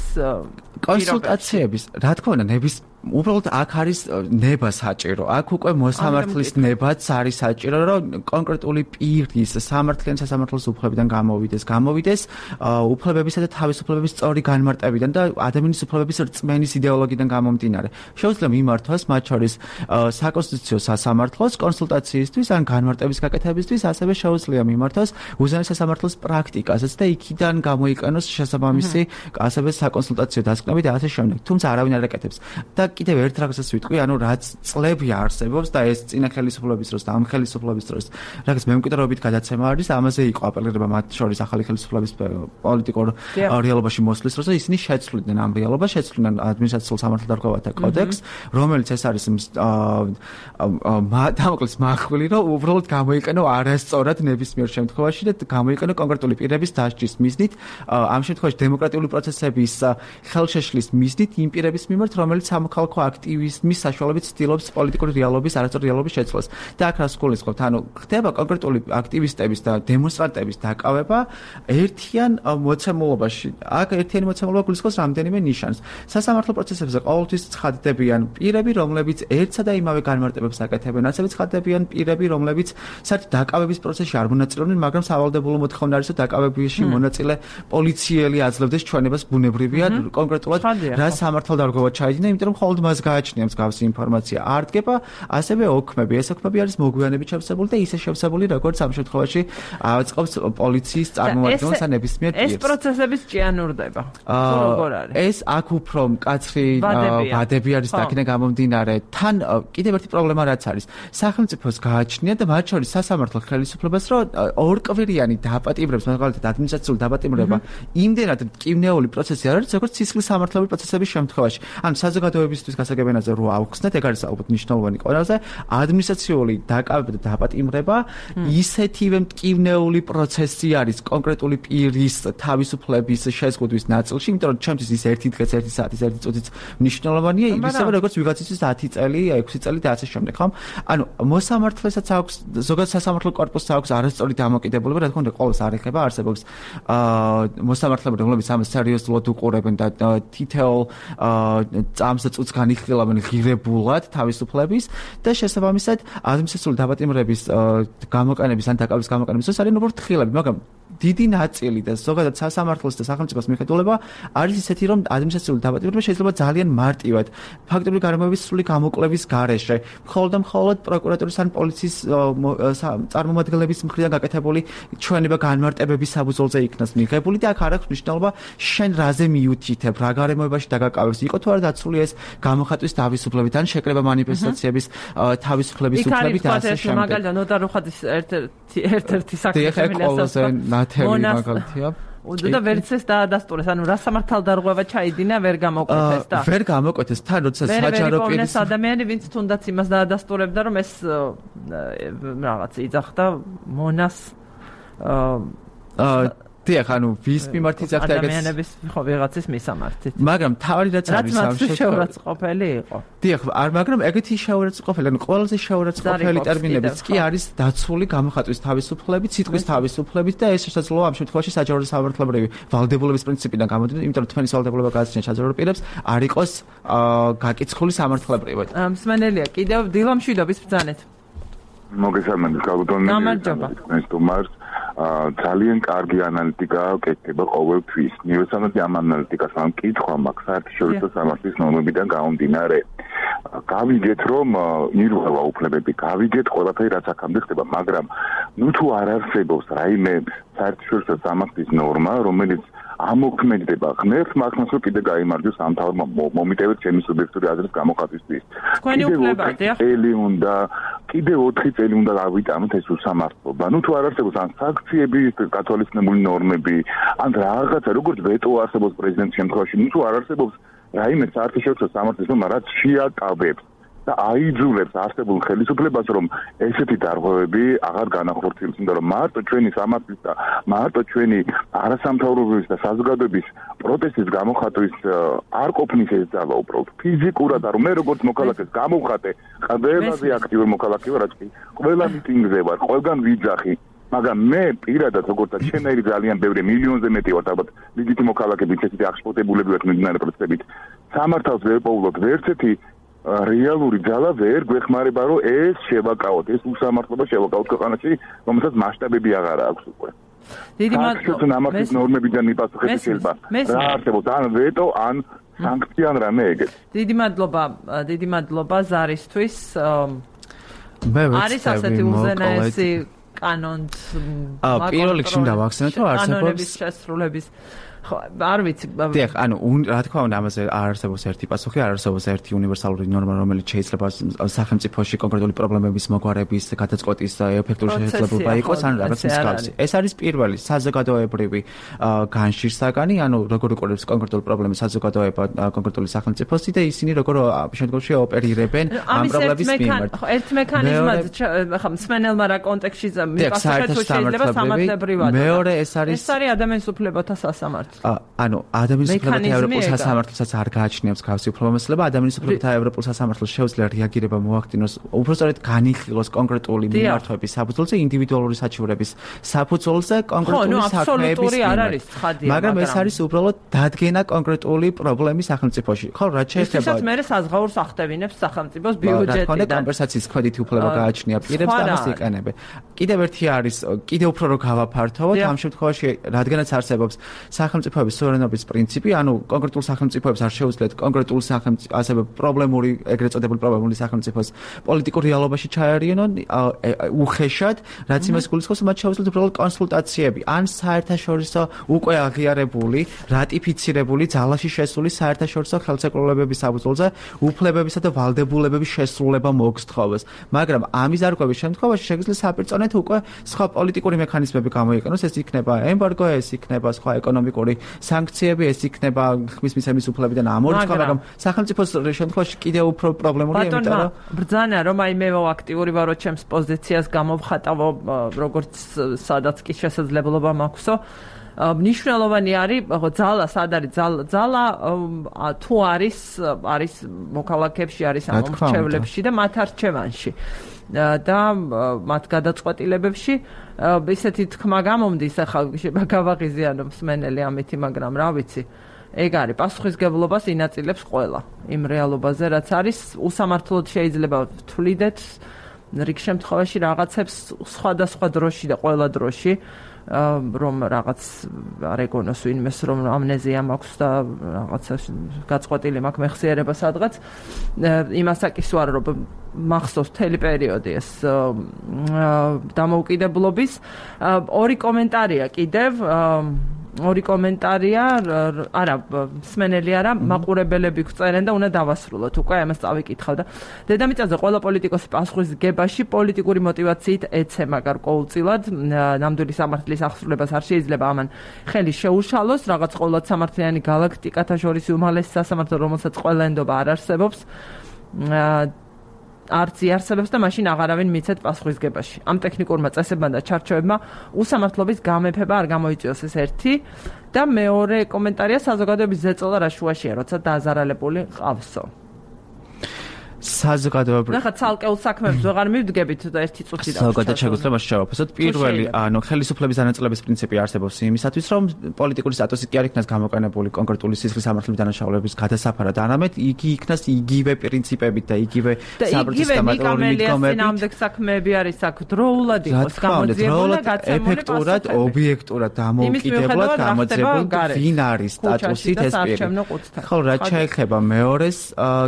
კონსულტაციების რა თქმა უნდა ნების უბრალოდ აქ არის ნება საჭირო. აქ უკვე მოსამართლის ნებაც არის საჭირო, რომ კონკრეტული პირის სამართლიან სასამართლოს უფლებიდან გამოვიდეს უფლებებისა და თავისუფლებების სწორი განმარტებიდან და ადამიანის უფლებების რწმენის იდეოლოგიიდან გამომდინარე. შეუძლია მიმართოს მათ შორის საკონსტიტუციო სასამართლოს კონსულტაციისთვის ან განმარტების გაკეთებისთვის, ასევე შეუძლია მიმართოს უზენაეს სასამართლოს პრაქტიკასაც და იქიდან გამოიყენოს შესაბამისი ასევე საკონსულტაციო დასკვნები და ასე შემდეგ. თუმცა არავინ არ აკეთებს. და კიდევ ერთ რაღაცას ვიტყვი, ანუ რაც წლები არსებობს და ეს წინა ხელისუფლების დროს და ამ ხელისუფლების დროს რაღაც მემკვიდრეობით გადაცემა არის, ამაზე იყო აპელირება მათ შორის ახალი ხელისუფლების პოლიტიკურ რეალობაში მოსვლის დროს და ისინი შეცვლიდნენ ამ რეალობას, შეცვლიდნენ ადმინისტრაციულ სამართალდამცავთა კოდექსს, რომელიც ეს არის დამოკლეს მახვილი, რომ უბრალოდ გამოიყენო არასწორად ნებისმიერ შემთხვევაში და გამოიყენო კონკრეტული პირების დასჯის მიზნით, ამ შემთხვევაში დემოკრატიული პროცესების ხელშეშლის მიზნით იმ პირების მიმართ, რომელიც სამოქალაქო აქტივიზმის საშუალებით ცდილობს პოლიტიკური რეალობის, არასწორი რეალობის შეცვლას. და აქ რას გულისხმობთ? ანუ ხდება კონკრეტული აქტივისტების და დემონსტრანტების დაკავება ერთიან მოცემულობაში. აქ ერთიანი მოცემულობა გულისხმობს რამდენიმე ნიშანს. სასამართლო პროცესებზე ყოველთვის ცხადდებიან პირები, რომლებიც ერთსა და იმავე განმარტებებს აკეთებენ, ასევე ცხადდებიან პირები, რომლებიც საერთოდ დაკავების პროცესში არ მონაწილეობდნენ, მაგრამ სავალდებულო მოთხოვნა არის, რომ დაკავებაში მონაწილე პოლიციელი აძლევდეს ჩვენებას ბუნებრივია, კონკრეტულად რა სამართალდამცავად ჩაიდინა, იმიტომ რომ მხოლოდ მას გააჩნია მსგავსი ინფორმაცია. არ დგება ასევე ოქმები. ეს ოქმები არის მოგვიანებით შევსებული და ისე შევსებული, როგორც ამ შემთხვევაში აწყობს პოლიციის წარმომადგენელს ან ნებისმიერ პირს. ეს პროცესების ჭიანურდება. როგორ არის? ეს აქ უფრო მკაცრი ვადები არის დაკინა გამომდინარე. თან კიდევ ერთი პრობლემა რაც არის. სახელმწიფოს გააჩნია და მათ შორის სასამართლო ხელისუფლებას, რომ ორკვირიანი დაპატიმრებს, მაგალითად ადმინისტრაციული დაპატიმრება, იმდენად მტკივნეული პროცესი არ არის, როგორც სისხლის სამართლებრივი პროცესების შემთხვევაში. ან საზოგადოების უფლებისთვის გასაგებიანაზე რო ავხსნეთ, ეგ არის ალბათ მნიშვნელოვანი ყველაზე ადმინისტრაციული დაკავება და დაპატიმრება ისეთივე მტკივნეული პროცესი არის კონკრეტული პირის თავისუფლების შეზღუდვის ნაწილში, იმიტომ რომ ჩემთვის ის 1 დღეს, 1 საათის, 1 წუთიც მნიშვნელოვანია, ისევე როგორც ვიღაცისთვის 10 წელი, 6 წელი და ასე შემდეგ, ხო? ანუ მოსამართლესაც აქვს, ზოგადად სასამართლო კორპუსს აქვს არასწორი დამოკიდებულება, რა თქმა უნდა, ყოველს არ ეხება, არსებობს მოსამართლეები, რომლებიც ამას სერიოზულად უყურებენ და თითოეულ წამს და წუთს განიხილავენ ღირებულად თავისუფლების და შესაბამისად ადმინისტრაციული დაპატიმრების გამოყენების ან დაკავების გამოყენების დროს არიან უბრალოდ თხილები, მაგრამ დიდი ნაწილი და ზოგადად სასამართლოს და სახელმწიფოს მიხედულება არის ისეთი, რომ ადმინისტრაციული დაპატიმრება შეიძლება ძალიან მარტივად ფაქტობრივი გარემოების სრული გამოკვლევის გარეშე, მხოლოდ პროკურატურის ან პოლიციის წარმომადგენლების მხრიდან გაკეთებული ჩვენება განმარტებების საფუძველზე იქნას მიღებული და აქ არ აქვს მნიშვნელობა შენ რაზე მიუთითებ, რა გარემოებაში დაგაკავებს, იყო თუ არა დაცული ეს გამოხატვის თავისუფლებით ან შეკრება მანიფესტაციების თავისუფლების უფლებით და ასე შემდეგ. მაგალითად ნოტარო ხადის ერთ-ერთი საქმე მაგალითია და ვერც ეს დაადასტურეს, ანუ რა სამართალდარღვევა ჩაიდინა, ვერ გამოკვეთეს და ვერ გამოკვეთეს თან, როცა საჯარო პირის ადამიანი, ვინც თუნდაც იმას დაადასტურებდა, რომ ეს რაღაც იძახდა მონას დიახ, ანუ ვის მიმართ იძახდა ეგეც ადამიანების ხო ვიღაცის მისამართით. მაგრამ თავი რაც არის ამ შეურაცხყოფელი იყო. დიახ, მაგრამ ეგეთი შეურაცხყოფელი, ანუ ყველაზე შეურაცხყოფელი ტერმინებიც კი არის დაცული გამოხატვის თავისუფლებით, სიტყვის თავისუფლებით და ეს შესაძლოა ამ შემთხვევაში საჯარო სამართლებრივი ვალდებულების პრინციპიდან გამოდიოდა, იმიტომ რომ თქვენი ვალდებულება გააჩნია საჯარო პირებს, არ იყოს გაკიცხული სამართლებრივად. მსმენელია, კიდევ დილამშვიდობის ბრძანეთ. მოგესალმებით, გაგუთონი. გამარჯობა. ძალიან კარგი ანალიტიკა კეთდება ყოველთვის. ნიუსანოდი ამ ანალიტიკას ამ კითხვა მაქვს საერთაშორისო სამართლის ნორმებიდან გამომდინარე. გავიგეთ, რომ ირღვევა უფლებები, გავიგეთ ყველაფერი რაც აქამდე ხდება, მაგრამ ნუ თუ არ არსებობს რაიმე საერთაშორისო სამართლის ნორმა, რომელიც ამოქმედება ღმერთს მაგას რომ კიდე გაიმარჯვოს ამ თავმა მომიტევეთ ჩემი სუბიექტური აზრის გამოხატვისთვის. თქვენი უფლება დიახ. კიდე 4 წელი უნდა გავიტანოთ ეს უსამართლობა. ნუ თუ არ არსებობს ან სანქციები, გათვალისწინებული ნორმები, ან რაღაცა როგორც ვეტო არსებობს პრეზიდენტის შემთხვევაში, ნუ თუ არ არსებობს რაიმე საერთაშორისო სამართლის ნორმა, რაც შეაკავებს და აიძულებს არსებულ ხელისუფლებას, რომ ესეთი დარღვევები აღარ განახორციელოს, იმიტომ რომ მარტო ჩვენი სამართლის და მარტო ჩვენი არასამთავრობოების და საზოგადოების პროტესტის გამოხატვის არ ყოფნის ეს ძალა უბრალოდ ფიზიკურად არ მე როგორც მოქალაქეს გამოვხატე, ყველაზე აქტიური მოქალაქე ვარ, რაც კი ყველა მიტინგზე ვარ, ყველგან ვიძახი. მაგრამ მე პირადად როგორც ჩემნაირი ძალიან ბევრი მილიონზე მეტი ვარ, ალბათ ლიგითი მოქალაქეებით ესეთი აღშფოთებულები ვართ მიმდინარე პროცესებით. სამართალს ვერ პოულობ ვერცეთი რეალური ძალა ვერ გვეხმარება, რომ ეს შევაკავოთ, ეს უსამართლობა შევაკავოთ ქვეყანაში, რომელსაც მასშტაბები აღარ აქვს უკვე. დიდი მადლობა. სამართლის ნორმებიდან მიპასუხებები შეიძლება. რა არსებობს, ან ვეტო, ან სანქცია, ან რამე ეგეთ. დიდი მადლობა ზარისთვის. არის ასეთი უზენაესი კანონს პირველ რიგში დავახსენოთ, რომ არსებობს შესრულების არ ვიცი. დიახ, ანუ რა თქმა უნდა ამაზე არ არსებობს ერთი პასუხი, არ არსებობს ერთი უნივერსალური ნორმა, რომელიც შეიძლება სახელმწიფოში კონკრეტული პრობლემების მოგვარების, გადაწყვეტის ეფექტური შესაძლებლობა იყოს, ან რაღაც მსგავსი. ეს არის პირველი საზოგადოებრივი განშირსაგანი, ანუ როგორ უყურებს კონკრეტული პრობლემის საზოგადოება კონკრეტული სახელმწიფოსი და ისინი როგორ შემდგომში ოპერირებენ ამ პრობლემის მიმართ. ერთ მექანიზმად ხა მსმენელმა რა კონტექსტში მიპასუხეთ, თუ შეიძლება სამართლებრივად. მეორე ეს არის ადამიანის უფლებათა სასამართლო. ანუ ადამიანის უფლებათა ევროპულ სასამართლოსაც არ გააჩნიებს გავსი უფლებამოსილება, ადამიანის უფლებათა ევროპულ სასამართლოს შეუძლია რეაგირება მოახდინოს, უბრალოდ განიხილოს კონკრეტული მიმართვების საფუძველზე, ინდივიდუალური საჩივრების საფუძველზე კონკრეტული საქმეების მიმართ. მაგრამ ეს არის უბრალოდ დადგენა კონკრეტული პრობლემის სახელმწიფოში. ხო, რაც შეეხება ისაც მე საზღაურს ახდევინებს სახელმწიფოს ბიუჯეტიდან. და კომპენსაციის კვედითი უფლება გააჩნია პირებს და ამას იყენებენ. კიდევ ერთი არის, კიდევ უფრო რო გავაფართოვოთ, ამ შემთხვევაში რადგანაც არსებობს სახელმწიფოების სუვერენობის პრინციპი, ანუ კონკრეტულ სახელმწიფოებს არ შეუძლიათ კონკრეტულ სახელმწიფო ასევე პრობლემური, ეგრეთ წოდებული პრობლემური სახელმწიფოს პოლიტიკურ რეალობაში ჩაერიანონ უხეშად, რაც იმას გულისხმობს, მათ შეუძლიათ უბრალოდ კონსულტაციები, ან საერთაშორისო უკვე აღიარებული, რატიფიცირებული, ძალაში შესული საერთაშორისო ხელშეკრულებების საფუძველზე უფლებებისა და ვალდებულებების შესრულება მოგსთხოვოს. მაგრამ ამის არღვევის შემთხვევაში შეგვიძლია საპირწონე არამედ უკვე სხვა პოლიტიკური მექანიზმები გამოიყენოს, ეს იქნება ემბარგო, ეს იქნება სხვა ეკონომიკური სანქციები, ეს იქნება ხმის მისცემის უფლებიდან ამორიცხვა, მაგრამ სახელმწიფოს შემთხვევაში კიდევ უფრო პრობლემურია, იმიტომ რომ ბრძანა რომ აი მე ვაქტიური ვარო ჩემს პოზიციას გამოვხატავო როგორც სადაც კი შესაძლებლობა მაქვსო მნიშვნელოვანი არის ძალა სად არის ძალა თუ არის მოქალაქეებში არის ამომრჩევლებში და მათ არჩევანში და მათ გადაწყვეტილებებში ისეთი თქმა გამომდის ახლა გავაღიზიანო მსმენელი ამითი მაგრამ რა ვიცი ეგ არის პასუხისგებლობას ინაწილებს ყველა იმ რეალობაზე რაც არის უსამართლოდ შეიძლება ვთვლიდეთ რიგ შემთხვევაში რაღაცებს სხვადასხვა დროში და ყველა დროში რომ რაღაც არ ეგონოს ვინმეს რომ ამნეზია მაქვს და რაღაცა გაწყვეტილი მაქვს მეხსიერება სადღაც იმასაკის ვარ რომ მახსოვს მთელი პერიოდი ეს დამოუკიდებლობის ორი კომენტარია კიდევ ორი კომენტარია არა მსმენელი არა მაყურებელები გვწერენ და უნდა დავასრულოთ უკვე ამას წავიკითხავ და დედამიწაზე ყველა პოლიტიკოსი პასუხისგებაში პოლიტიკური მოტივაციით ეცემა გარკვეულწილად ნამდვილი სამართლის აღსრულებას არ შეიძლება ამან ხელი შეუშალოს რაღაც ყოველად სამართლიანი გალაქტიკათა შორის უმაღლესი სასამართლო რომელსაც ყველა ენდობა არ არსებობს არც იარსებებს და მაშინ აღარავინ მიცეთ პასუხისგებაში. ამ ტექნიკურმა წესებმა და ჩარჩოებმა უსამართლობის გამეფება არ გამოიწვიოს ეს ერთი და მეორე კომენტარია საზოგადოების ზეწოლა რა შუაშია, როცა დააზარალებული ყავსო. საზოგადოებრივ ნახა ცალკეულ საქმეებს ვეღარ მივდგებით და ერთი წუთი და ზოგადად შეგვიძლია შევაფასოთ პირველი ხელისუფლების დანაწილების პრინციპი არსებობს იმისათვის რომ პოლიტიკური სტატუსი კი არ იქნას გამოყენებული კონკრეტული სისხლის სამართლების დანაშაულების გადასაფარად არამედ იგი იქნას იგივე პრინციპებით და იგივე საპროცესო გამართლებით ნამდვილ საქმეები არის აქ დროულად იყოს გამოძიებული და გაცემული ეფექტურად ობიექტურად დამოუკიდებლად გამოძიებული ვინ არის სტატუსით ეს პირი ხო რაც შეეხება მეორეს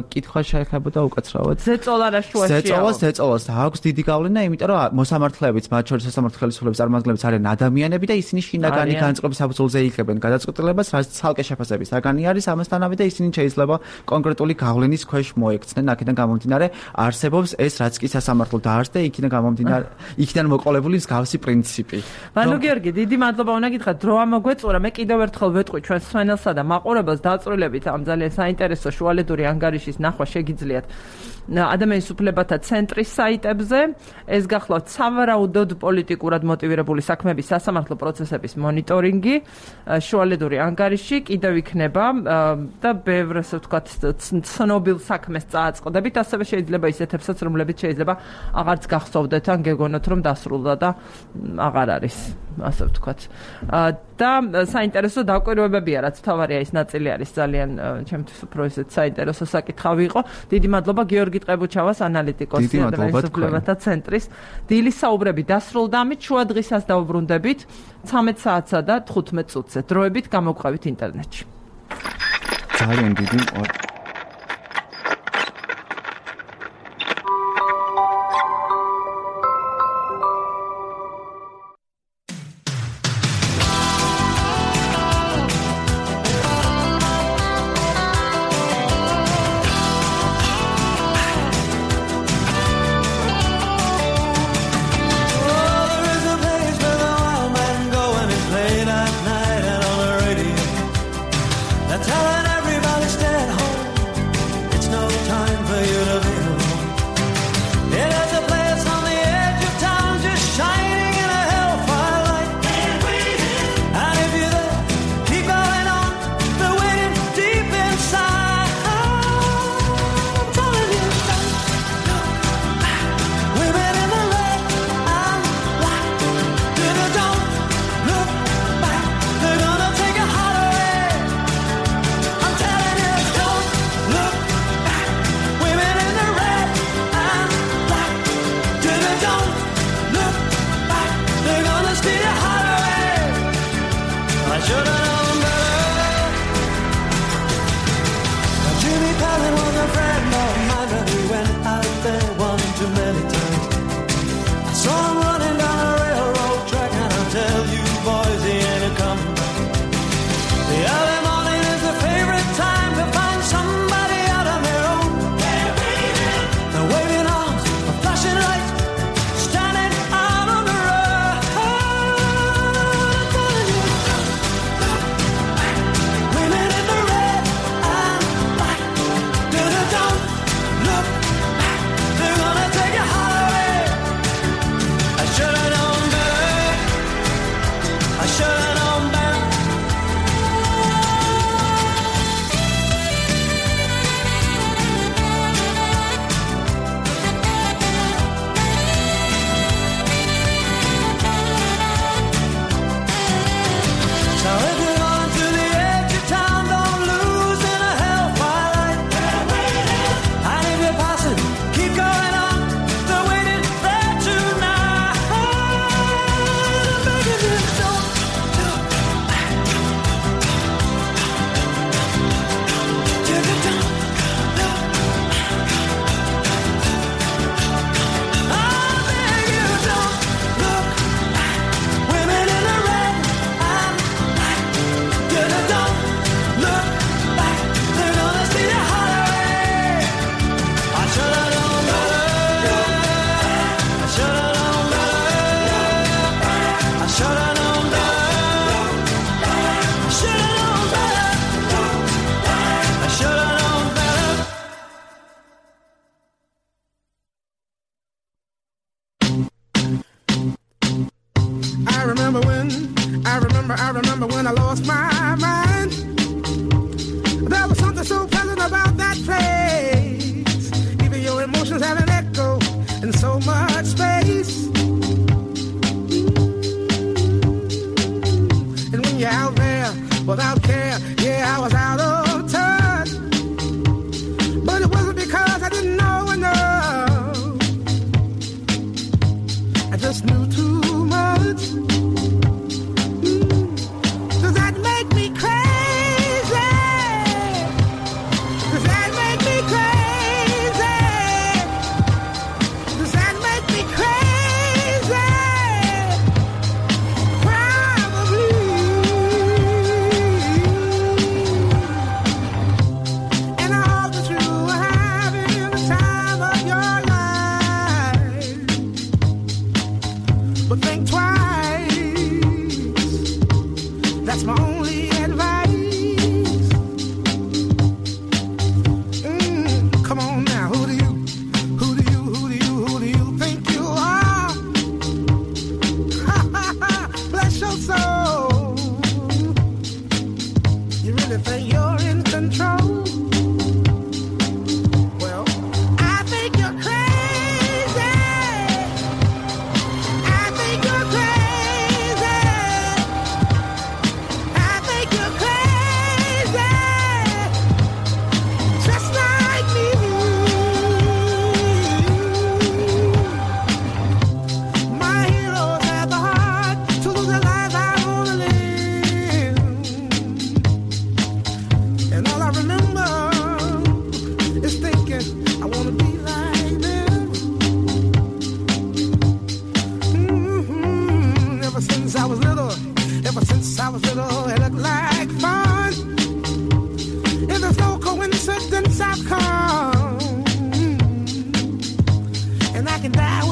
კითხვა შეეხებოდა ზეწოლას აქვს დიდი გავლენა, იმიტომ რომ მოსამართლეებიც, მათ შორის სასამართლო ხელისუფლების წარმომადგენლებიც არიან ადამიანები და ისინი შინაგანი განწყობის საფუძველზე იღებენ გადაწყვეტილებას, რაც ცალკე შეფასების საგანი არის, ამასთანავე და ისინი შეიძლება კონკრეტული გავლენის ქვეშ მოექცნენ, აქედან გამომდინარე არსებობს ეს რაც კი სასამართლო დაარსდა, იქიდან მოყოლებული მსგავსი პრინციპი. ბანო გიორგი, დიდი მადლობა უნდა გითხრათ, დრო ამოგვეწურა, მე კიდევ ერთხელ ვეტყვი ჩვენს მსმენელსა და მაყურებელს დაწვრილებით ამ ძალიან საინტერესო შუალედური ანგარიშის ნახვა შეგიძლიათ ადამიანის უფლებათა ცენტრის საიტებზე ეს გახლავთ სავარაუდოდ პოლიტიკურად მოტივირებული საქმეების სასამართლო პროცესების მონიტორინგი შუალედური ანგარიში კიდევ იქნება და ბევრ ასე ვთქვათ ცნობილ საქმეს წააწყდებით ასევე შეიძლება ისეთებსაც რომლებიც შეიძლება აღარც გახსოვდეთ ან გეგონოთ რომ დასრულდა და აღარ არის ასე ვთქვათ და საინტერესო დაკვირვებებია რაც თავარია ის ნაწილი არის ძალიან ჩემთვის უფრო ისეთ საინტერესო საკითხავი იყო დიდი მადლობა გიორგი ტყებუჩავას ანალიტიკოსი ადამიანის უფლებათა ცენტრის დილის საუბრები დასრულდა ამით შუა დღისაც დავუბრუნდებით 13 საათსა და 15 წუთზე დროებით გამოგყვებით ინტერნეტში ძალიან დიდი telling everybody stay at home. remember when I lost my mind. There was something so pleasant about that place. Even your emotions have an echo in so much space. And when you're out there without care, yeah, I was out of touch. But it wasn't because I didn't know enough. I just knew too much. Does that make me crazy? Does that make me crazy? Does that make me crazy? Probably. And I hope that you are having the time of your life. But think twice. That's my only advice. Come on now, who do you think you are? Bless your soul. You really think you're in control? Well, I think you're crazy. I think you're crazy. I think you're crazy, just like me. My heroes had the heart to lose their lives out on the limb. And all I remember is thinking, I want to be like them. Ever since I was little, it looked like fun. If there's no coincidence, I've come. And I can die